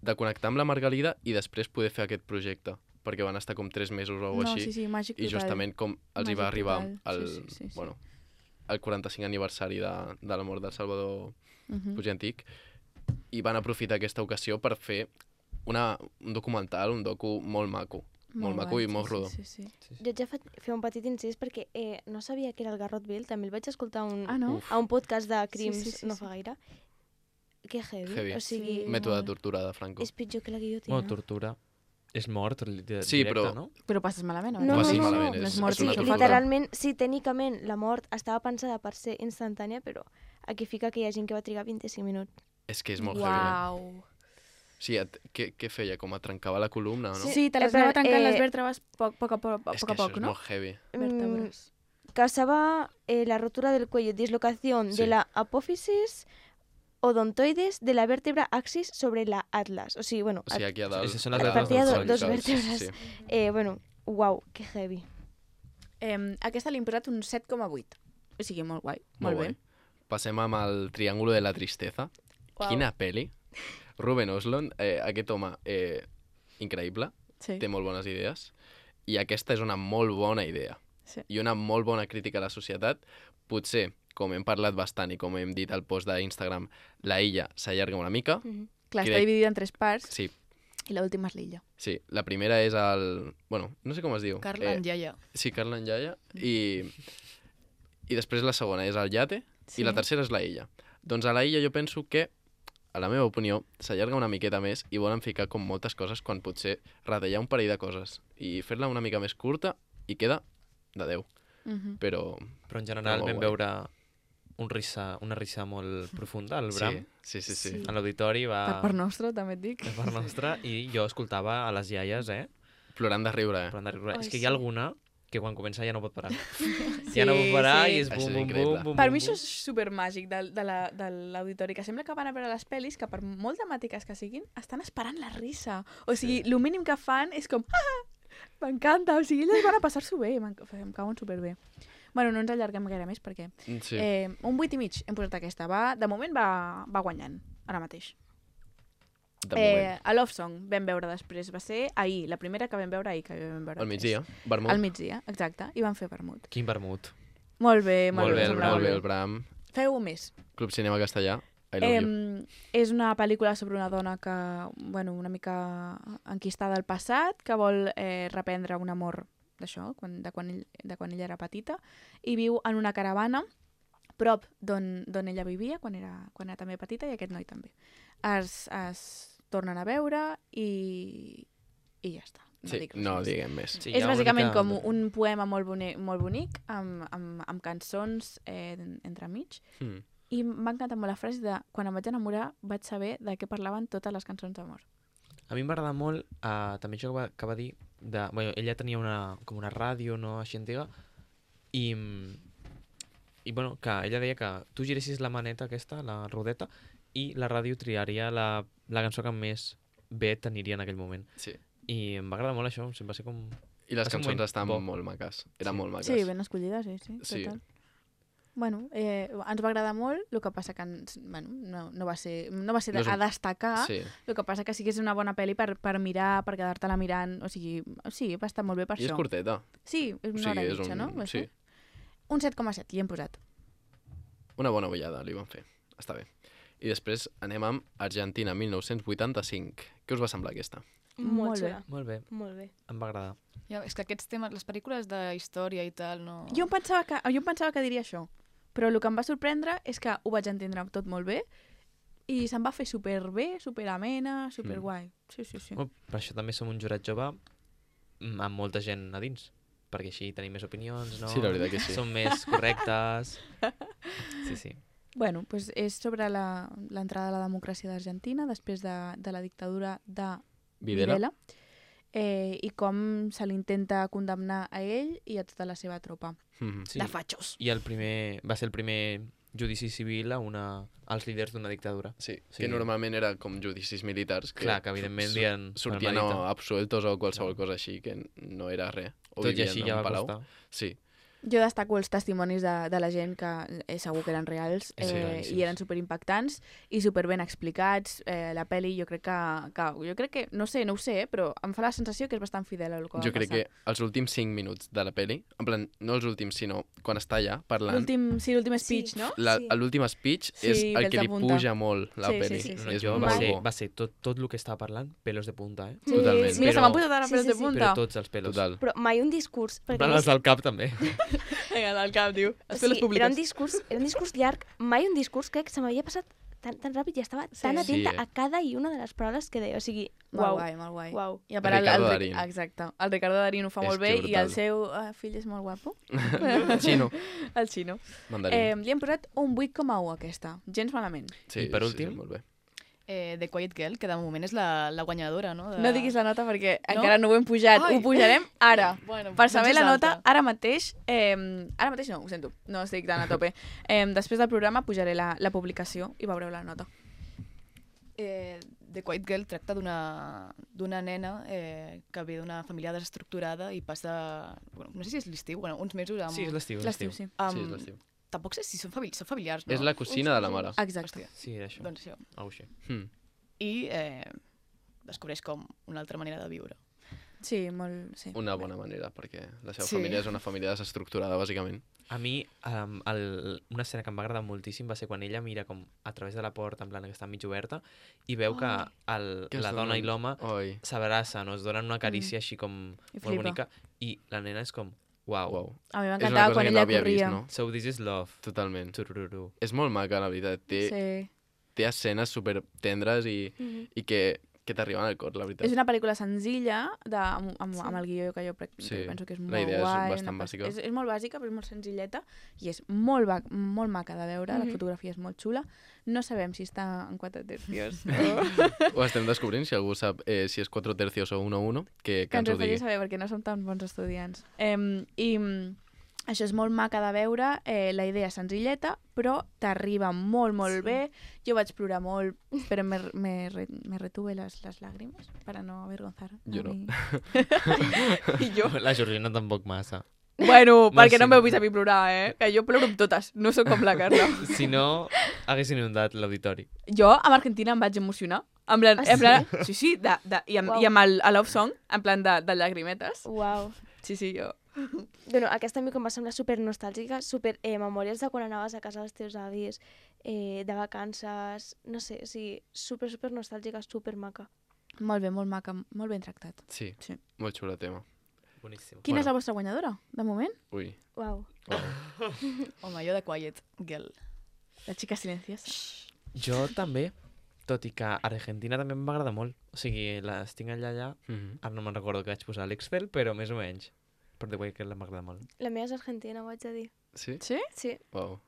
de connectar amb la Margalida i després poder fer aquest projecte, perquè van estar com tres mesos o alguna No, cosa així, sí, sí, màgic i total. justament com els hi va Màgic arribar total. el, Sí, sí, sí, sí. bueno, el quaranta-cinc aniversari de, de la mort del Salvador Mhm. Puig i Antic, i van aprofitar aquesta ocasió per fer una, un documental, un docu molt maco. Molt maco guai, i molt sí, rodó. Sí, sí, sí. Sí, sí. Jo ja fa, fer un petit incís perquè eh, no sabia que era el Garrot Bill, també el vaig escoltar un, Ah, no? Uf. a un podcast de crims Sí, sí, sí, no sí. fa gaire. Que heavy. Heavy. O sigui, Sí. Mètode de molt. tortura de Franco. és pitjor que la guillotina. Bueno, tortura. És mort li- di- Sí, directe, però- no? Però passes malament, o No, Va, no, sí, no, malament, no, no és- és mort, és una sí, tortura. literalment, sí, tècnicament la mort estava pensada per ser instantània, però aquí fica que hi ha gent que va trigar vint-i-cinc minuts. És que és molt heavy. Eh? Uau. Sí, et, què, què feia? Com et trencava la columna, no? Sí, sí, te les Eh, anava però, trencant eh, les vèrtebres poc, poc a poc, és poc, que a poc això és no? molt heavy. Vèrtebres. Mm, causaba eh, la rotura del cuello, dislocación Sí. de la apófisis odontoides de la vértebra axis sobre la atlas. O sigui, bueno, O sigui, aquí a dalt... Esses són les a dalt vèrtebres dels del dos cervicals, vèrtebres. Sí. eh, bueno, uau, que heavy. Eh, aquesta li hem posat un set coma vuit. O sigui, molt guai, molt, Molt bé. guai. Passem amb el Triángulo de la Tristeza. Uau. Quina peli. Ruben Östlund, eh, aquest home, eh, increïble, Sí. té molt bones idees, i aquesta és una molt bona idea. Sí. I una molt bona crítica a la societat. Potser, com hem parlat bastant i com hem dit al post d'Instagram, la illa s'allarga una mica. Mm -hmm. Clar, Crec- està dividida en tres parts Sí, i l'última és l'illa. sí. La primera és el... Bueno, no sé com es diu. Carla Yaya. Sí, Carla Yaya. I, I després la segona és el Yate. Sí. I la tercera és la illa. Doncs a la illa jo penso que, a la meva opinió, s'allarga una miqueta més i volen ficar com moltes coses quan potser retallar un parell de coses i fer-la una mica més curta i queda de Déu. Mhm. Però Però en general Molt vam guai. veure un risa, una risa molt profunda al sí, Bram. sí, sí, sí. Sí. A l'auditori va... Per part nostra, també et dic. Per part nostra. I jo escoltava a les iaies, eh? Plorant de riure, eh? Plorant de riure. Ai, És que hi sí. ha alguna que quan comença ja no pot parar. Sí, ja no pot parar sí. i és Això bum, és bum, increïble. bum, bum, Per bum, mi això bum. és supermàgic de, de la- de l'auditori, que sembla que van a veure les pel·lis que per molt temàtiques que siguin, estan esperant la risa. O sigui, el mínim que fan és com... Ah, m'encanta! O sigui, elles van a passar-s'ho bé, m'en- em cauen superbé. Bueno, no ens allarguem gaire més perquè... Sí. Eh, un vuit i mig hem posat aquesta. Va, de moment va, va guanyant, ara mateix. de moment. Eh, a Love Song vam veure després, va ser ahir, la primera que vam veure ahir, que vam veure Al tres. migdia, vermut. Al migdia, exacte, i van fer vermut. Quin vermut. Molt bé, molt, Molt bé, bé, el sembla Bram, Molt bé, molt el Bram. Feu més. Club Cinema Castellà. I love you. Eh, és una pel·lícula sobre una dona que, bueno, una mica enquistada al passat, que vol eh, reprendre un amor d'això, quan, de, quan ell, de quan ella era petita, i viu en una caravana prop d'on d'on ella vivia quan era, quan era també petita, i aquest noi també. Es, es tornen a veure i, i ja està. No Sí, dic res no més. diguem més. Sí, hi És ha una bàsicament mica com de- un poema molt bonic, molt bonic amb, amb, amb cançons eh, entremig. Mm. I m'ha encantat molt la frase de quan em vaig enamorar vaig saber de què parlaven totes les cançons d'amor. A mi m'agrada molt, uh, també això que va, que va dir, de, bueno, ella tenia una, com una ràdio no així antiga, i, i bueno, que ella deia que tu giressis la maneta aquesta, la rodeta, i la ràdio triaria la, la cançó que més bé t'aniria en aquell moment. Sí. I em va agradar molt això, em va ser com... I les Va ser un cançons moment estan bo. molt maques. Eren Sí. molt maques. Sí, ben escollides, sí, sí, Sí. total. Bueno, eh, ens va agradar molt, el que passa que ens, bueno, no, no va ser, no va ser No de, és un- a destacar, Sí. el que passa que sí que és una bona pel·li per, per mirar, per quedar-te-la mirant, o sigui, sí, va estar molt bé per I és això. curteta. Sí, és O una sigui, hora i és mitja, un... no? Va Sí. ser? Un set coma set, li hem posat. Una bona ullada li van fer. Està bé. I després anem amb Argentina mil nou-cents vuitanta-cinc. Què us va semblar aquesta? Molt Molt bé. xula. Molt bé, Molt bé. em va agradar. Ja, és que aquests temes, les pel·lícules de història i tal, no... Jo em pensava que, jo em pensava que diria això, Però el que em va sorprendre és que ho vaig entendre tot molt bé i se'm va fer superbé, superamena, superguai. Sí, sí, sí. Bueno, per això també som un jurat jove mm, amb molta gent a dins, perquè així tenim més opinions, no? Sí, la veritat que sí. Som més correctes. Sí, sí. Bueno, pues és sobre la- l'entrada a la democràcia d'Argentina després de, de la dictadura de Videla. Videla eh, i com se l'intenta condemnar a ell i a tota la seva tropa Mhm. Sí. de fatxos. I el primer, va ser el primer judici civil a una, als líders d'una dictadura. Sí, Sí. que normalment era com judicis militars que Clar, que evidentment su- dien sortien Margarita. o absueltos o qualsevol No. cosa així, que no era res. O Tot i vivien així en ja un va palau. costar. Jo Sí, destaco els testimonis de, de la gent que eh, segur que eren reals Sí, eh, claríssims. i eren superimpactants i superben explicats. Eh, la pel·li jo crec que, que... Jo crec que... No sé, no ho sé, eh, però em fa la sensació que és bastant fidel al que va jo crec passar. que els últims cinc minuts de la peli, en plan, no els últims, sinó quan està allà parlant, L'últim sí, l'últim Sí. speech, no? la- Sí. l'últim speech Sí, és el pels que de li punta. puja molt la Sí, sí, peli. sí, sí. No, És jo molt va ser, bo. va ser tot, tot el que estava parlant pelos de punta, eh? Sí, Totalment. sí. Mira, se Però- m'han posat ara Sí, pelos sí, de sí. punta. Però tots els pelos. Total. Però mai un discurs... En Perquè plan, a els més, del cap també. Vinga, del cap, diu. Els sí, pelos públics. era un discurs, era un discurs llarg, mai un discurs crec que se m'havia passat tan, tan ràpid i estava Sí. tan atenta Sí, eh? a cada i una de les paraules que deia. O sigui, Molt uau, guai, molt guai. uau. I a part, el, el, Ricardo el, Darín. exacte. El Ricardo Darín ho fa És molt bé que i brutal. el seu uh, fill és molt guapo. Xino, El xino. mandarín. Eh, li hem posat un vuit coma u a aquesta. Gens malament. sí, i per sí, últim? Sí, molt bé. Eh, The Quiet Girl, que de moment és la, la guanyadora, no? De... No diguis la nota perquè No? encara no ho hem pujat. Ai. Ho pujarem ara. Bueno, Per saber doncs és la nota, alta. ara mateix... Eh, ara mateix no, ho sento. No estic tan a tope. Eh, després del programa pujaré la, la publicació i veureu la nota. Eh, The Quiet Girl tracta d'una d'una nena eh, que ve d'una família desestructurada i passa... Bueno, no sé si és l'estiu, bueno, uns mesos amb... Sí, és l'estiu. és L'estiu, l'estiu. sí. amb... Sí, és l'estiu. Tampoc sé si són, famili són familiars, no? És la cosina de la mare. Exacte. Hòstia, Sí, era això. doncs això. Au, així. Hmm. I eh, descobreix com una altra manera de viure. Sí, molt... Sí. Una bona manera, perquè la seva Sí. família és una família desestructurada, bàsicament. A mi, um, el, una escena que em va agradar moltíssim va ser quan ella mira com a través de la porta, en plan que està mig oberta, i veu que el, Que es la dona i donen- l'home Oi, s'abracen o es donen una carícia així com I molt flipa. bonica, i la nena és com, uau, uau. A mi És una m'encantava cosa quan que ella no havia corria. vist, no? so this is love. Totalment. Turururu. És molt maca, la veritat. Té, Sí. té escenes super tendres i, Mhm. i que, que t'arriben al cor, la veritat. És una pel·lícula senzilla de, amb, amb, Sí. amb el guió que jo, pre- que Sí, penso que és la molt idea és guai. bastant una bàsica. És, és molt bàsica, però és molt senzilleta i és molt, ba- molt maca de veure. La Mhm. fotografia és molt xula. No sabem si està en quatre tercios o... Ho estem descobrint, si algú sap eh, si és quatre tercios o uno a uno, que, que que ens ens ho ho faria digui. saber perquè no som tan bons estudiants. Eh, I mm, això és molt maca de veure, eh, la idea és senzilleta, però t'arriba molt, molt Sí. bé. Jo vaig plorar molt, però me, me, re- me retuve les, les làgrimes para no avergonzar. a Jo no. mi. I jo? La Georgina tampoc massa. Bueno, No, perquè sí. no m'heu vist a mi plorar, eh? Que jo ploro amb totes, no sóc com la Carla. Si no, haguessin inundat l'auditori. Jo, amb Argentina, em vaig emocionar. En plan, Ah, en plan sí, sí, de, de, i amb, Uau. i amb el, el love song, en plan de, de llagrimetes. Uau. Sí, sí, jo. Bueno, aquesta a mi que em va semblar super nostàlgica, super eh, memòries de quan anaves a casa dels teus avis, eh, de vacances, no sé, o sigui, super, super nostàlgica, super maca. Molt bé, molt maca, molt ben tractat. Sí, Sí. molt xulo tema. Boníssim. Quina Bueno. és la vostra guanyadora, de moment? Ui, Uau. uau. Home, jo de Quiet Girl. La xica silenciosa. Jo també, tot i que Argentina també em va agradar molt. O sigui, les tinc allà allà. Mhm. Ara no me'n recordo que vaig posar a l'Excel, però més o menys. Per The Way que m'agrada molt. La meva és argentina, ho haig de dir. Sí? Sí? Sí. Uau.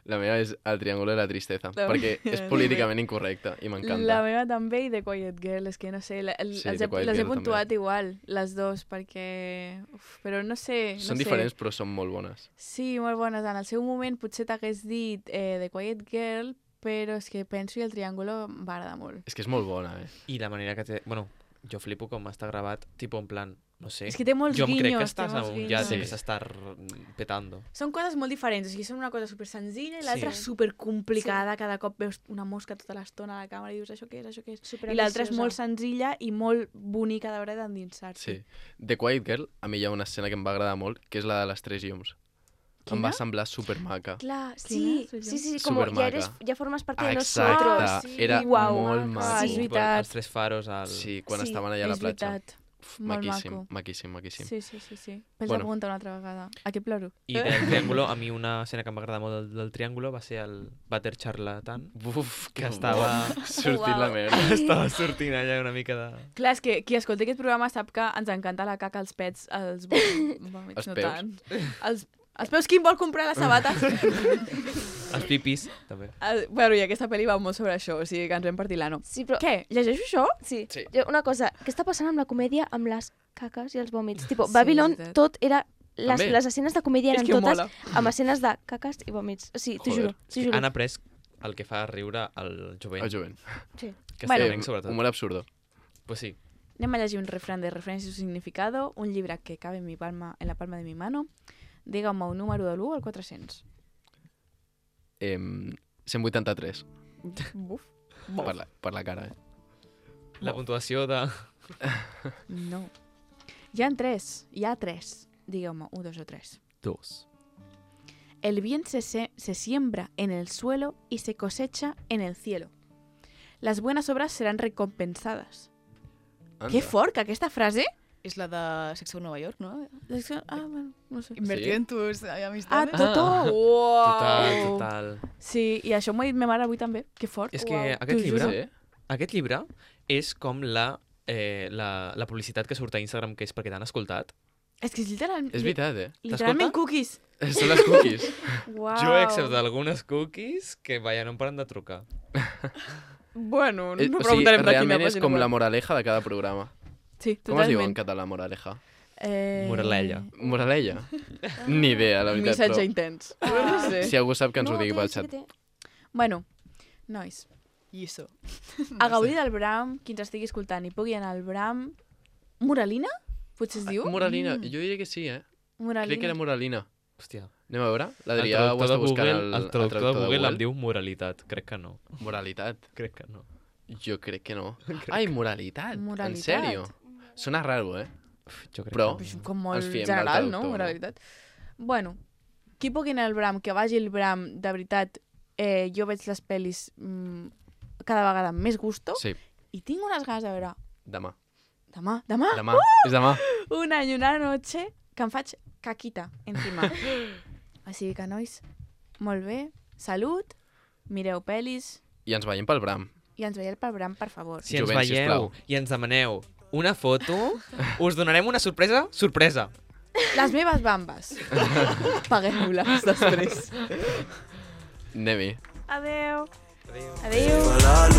La meva és el triangle de la tristesa, La perquè meva és també. políticament incorrecta i La m'encanta. meva també i The Quiet Girl, és que no sé, la, el, Sí, els The he, Quiet les he Girl puntuat igual, les dos, perquè... Uf, però no sé, no Són sé. diferents però són molt bones. Sí, molt bones. En el seu moment potser t'hagués dit eh, The Quiet Girl, però és que penso i el triàngulo em va agradar molt. És que és molt bona, eh? I la manera que té... Bueno, jo flipo com està gravat, tipo en plan, no sé. És que té molts jo em guinyos. crec que té estàs a molts un guinyos. yate Sí. que s'està r- petando. Són coses molt diferents, o sigui, són una cosa super senzilla i l'altra Sí. super complicada, cada cop veus una mosca tota l'estona a la càmera i dius això què és, això què és. Super I l'altra és ambiciosa. molt senzilla i molt bonica de veure d'endinsar-s'hi. Sí. The Quiet Girl, a mi hi ha una escena que em va agradar molt, que és la de les tres llums. Em va Quina? semblar supermaca. Clar, Quina? sí, sí, sí, sí, com Supermaca. ja, eres, ja formes part de Exacte, nosotros. era Uau, molt maca. maco. Ah, és veritat. Els tres faros al... Sí, quan Sí, estaven allà a la és platja. veritat. Uf, Molt maquíssim, maco. maquíssim, maquíssim. Sí, sí, sí, sí. Vaig Bueno. bueno. apuntar una altra vegada. Aquí ploro. I del triàngulo, a mi una escena que em va agradar molt del, del triàngulo va ser el vàter charlatan, Uf, que estava, sortint la Uau. merda. estava sortint allà una mica de... Clar, és que qui escolta aquest programa sap que ens encanta la caca, els pets, els vòmits, Els no peus. tant. Els, els peus, qui em vol comprar les sabates? Els pipis, també. El, bueno, i aquesta pel·li va molt sobre això, o sigui que ens vam partir l'ano. Sí, però... Què? Llegeixo això? Sí. Sí. Jo, una cosa, què està passant amb la comèdia amb les caques i els vòmits? Tipo, Sí, Babylon, és veritat. tot era... Les, També. les escenes de comèdia És eren que totes mola. amb escenes de caques i vòmits. O sigui, t'ho Joder. juro, t'ho juro. Han après el que fa riure al jovent. El jovent. Sí. Que Bueno. bueno, sobretot. Humor absurdo. Pues sí. Anem a llegir un refrán de referencia y su significado, un llibre que cabe en, mi palma, en la palma de mi mano. Digue'm un número de l'u al quatre-cents. Em, cent vuitanta-tres. Buf. Per la, per la cara, eh? La puntuació de... No. Hi ha tres. Hi ha tres. Digue'm un, dos o tres. Dos. El bien se, se, se siembra en el suelo y se cosecha en el cielo. Las buenas obras serán recompensadas. Anda. Que fort, que aquesta frase... És la de Sexo Nova York, no? Ah, bueno, no sé. Invertir Sí? en tus Ah, amistades. Totó! Ah. Uau! Total, total. Sí, i això m'ho ha dit ma mare avui també. Que fort. És que Uau. aquest T'ho llibre, juro. Sí? aquest llibre és com la, eh, la, la publicitat que surt a Instagram, que és perquè t'han escoltat. És que és literal... És veritat, eh? Literalment cookies. Són les cookies. Uau. Jo he acceptat algunes cookies que, vaja, no em paren de trucar. Bueno, no Eh, o sigui, preguntarem de quina realment és pàgina com web. la moraleja de cada programa. Sí, Com es diu en totalment. català, moraleja? Eh... Moraleja. Moraleja? Ni idea, la veritat, Missatge però intens. Ah. No sé. si algú sap que ens ho No, digui té, pel sí que xat. té. Bueno, nois, Lliçó. a gaudir del Bram, qui ens estigui escoltant i pugui anar al Bram... Moralina? Potser es diu? Moralina, Mm. jo diria que sí, eh? Moralina. Crec que era moralina. Hòstia. Anem a veure? El L'Adrià ho traductor, està de buscant Google, al, el al traductor de Google em Google. diu moralitat. Crec que no. Moralitat. Crec que no. Jo crec que no. Crec Ai, moralitat. En Moralitat. sèrio? Sona raro, eh? Uf, jo crec Però- que És no. com molt Ens fiem del general, no? traductor, no? Moralitat. Bueno, qui pugui anar al Bram, que vagi al Bram, de veritat, eh, jo veig les pel·lis mm, cada vegada amb més gusto Sí, i tinc unes ganes de veure demà. demà, demà, Demà, és demà. un any, una noche, que em faig caquita encima. Així que, nois, molt bé, salut, mireu pel·lis I ens veiem pel Bram. i ens veieu pel Bram, per favor. Si ens Jovent, veieu sisplau. i ens demaneu una foto, us donarem una sorpresa, sorpresa. Les meves bambes. Pagueu-les després. Anem-hi. Adeu. Adéu. Adeu. Para la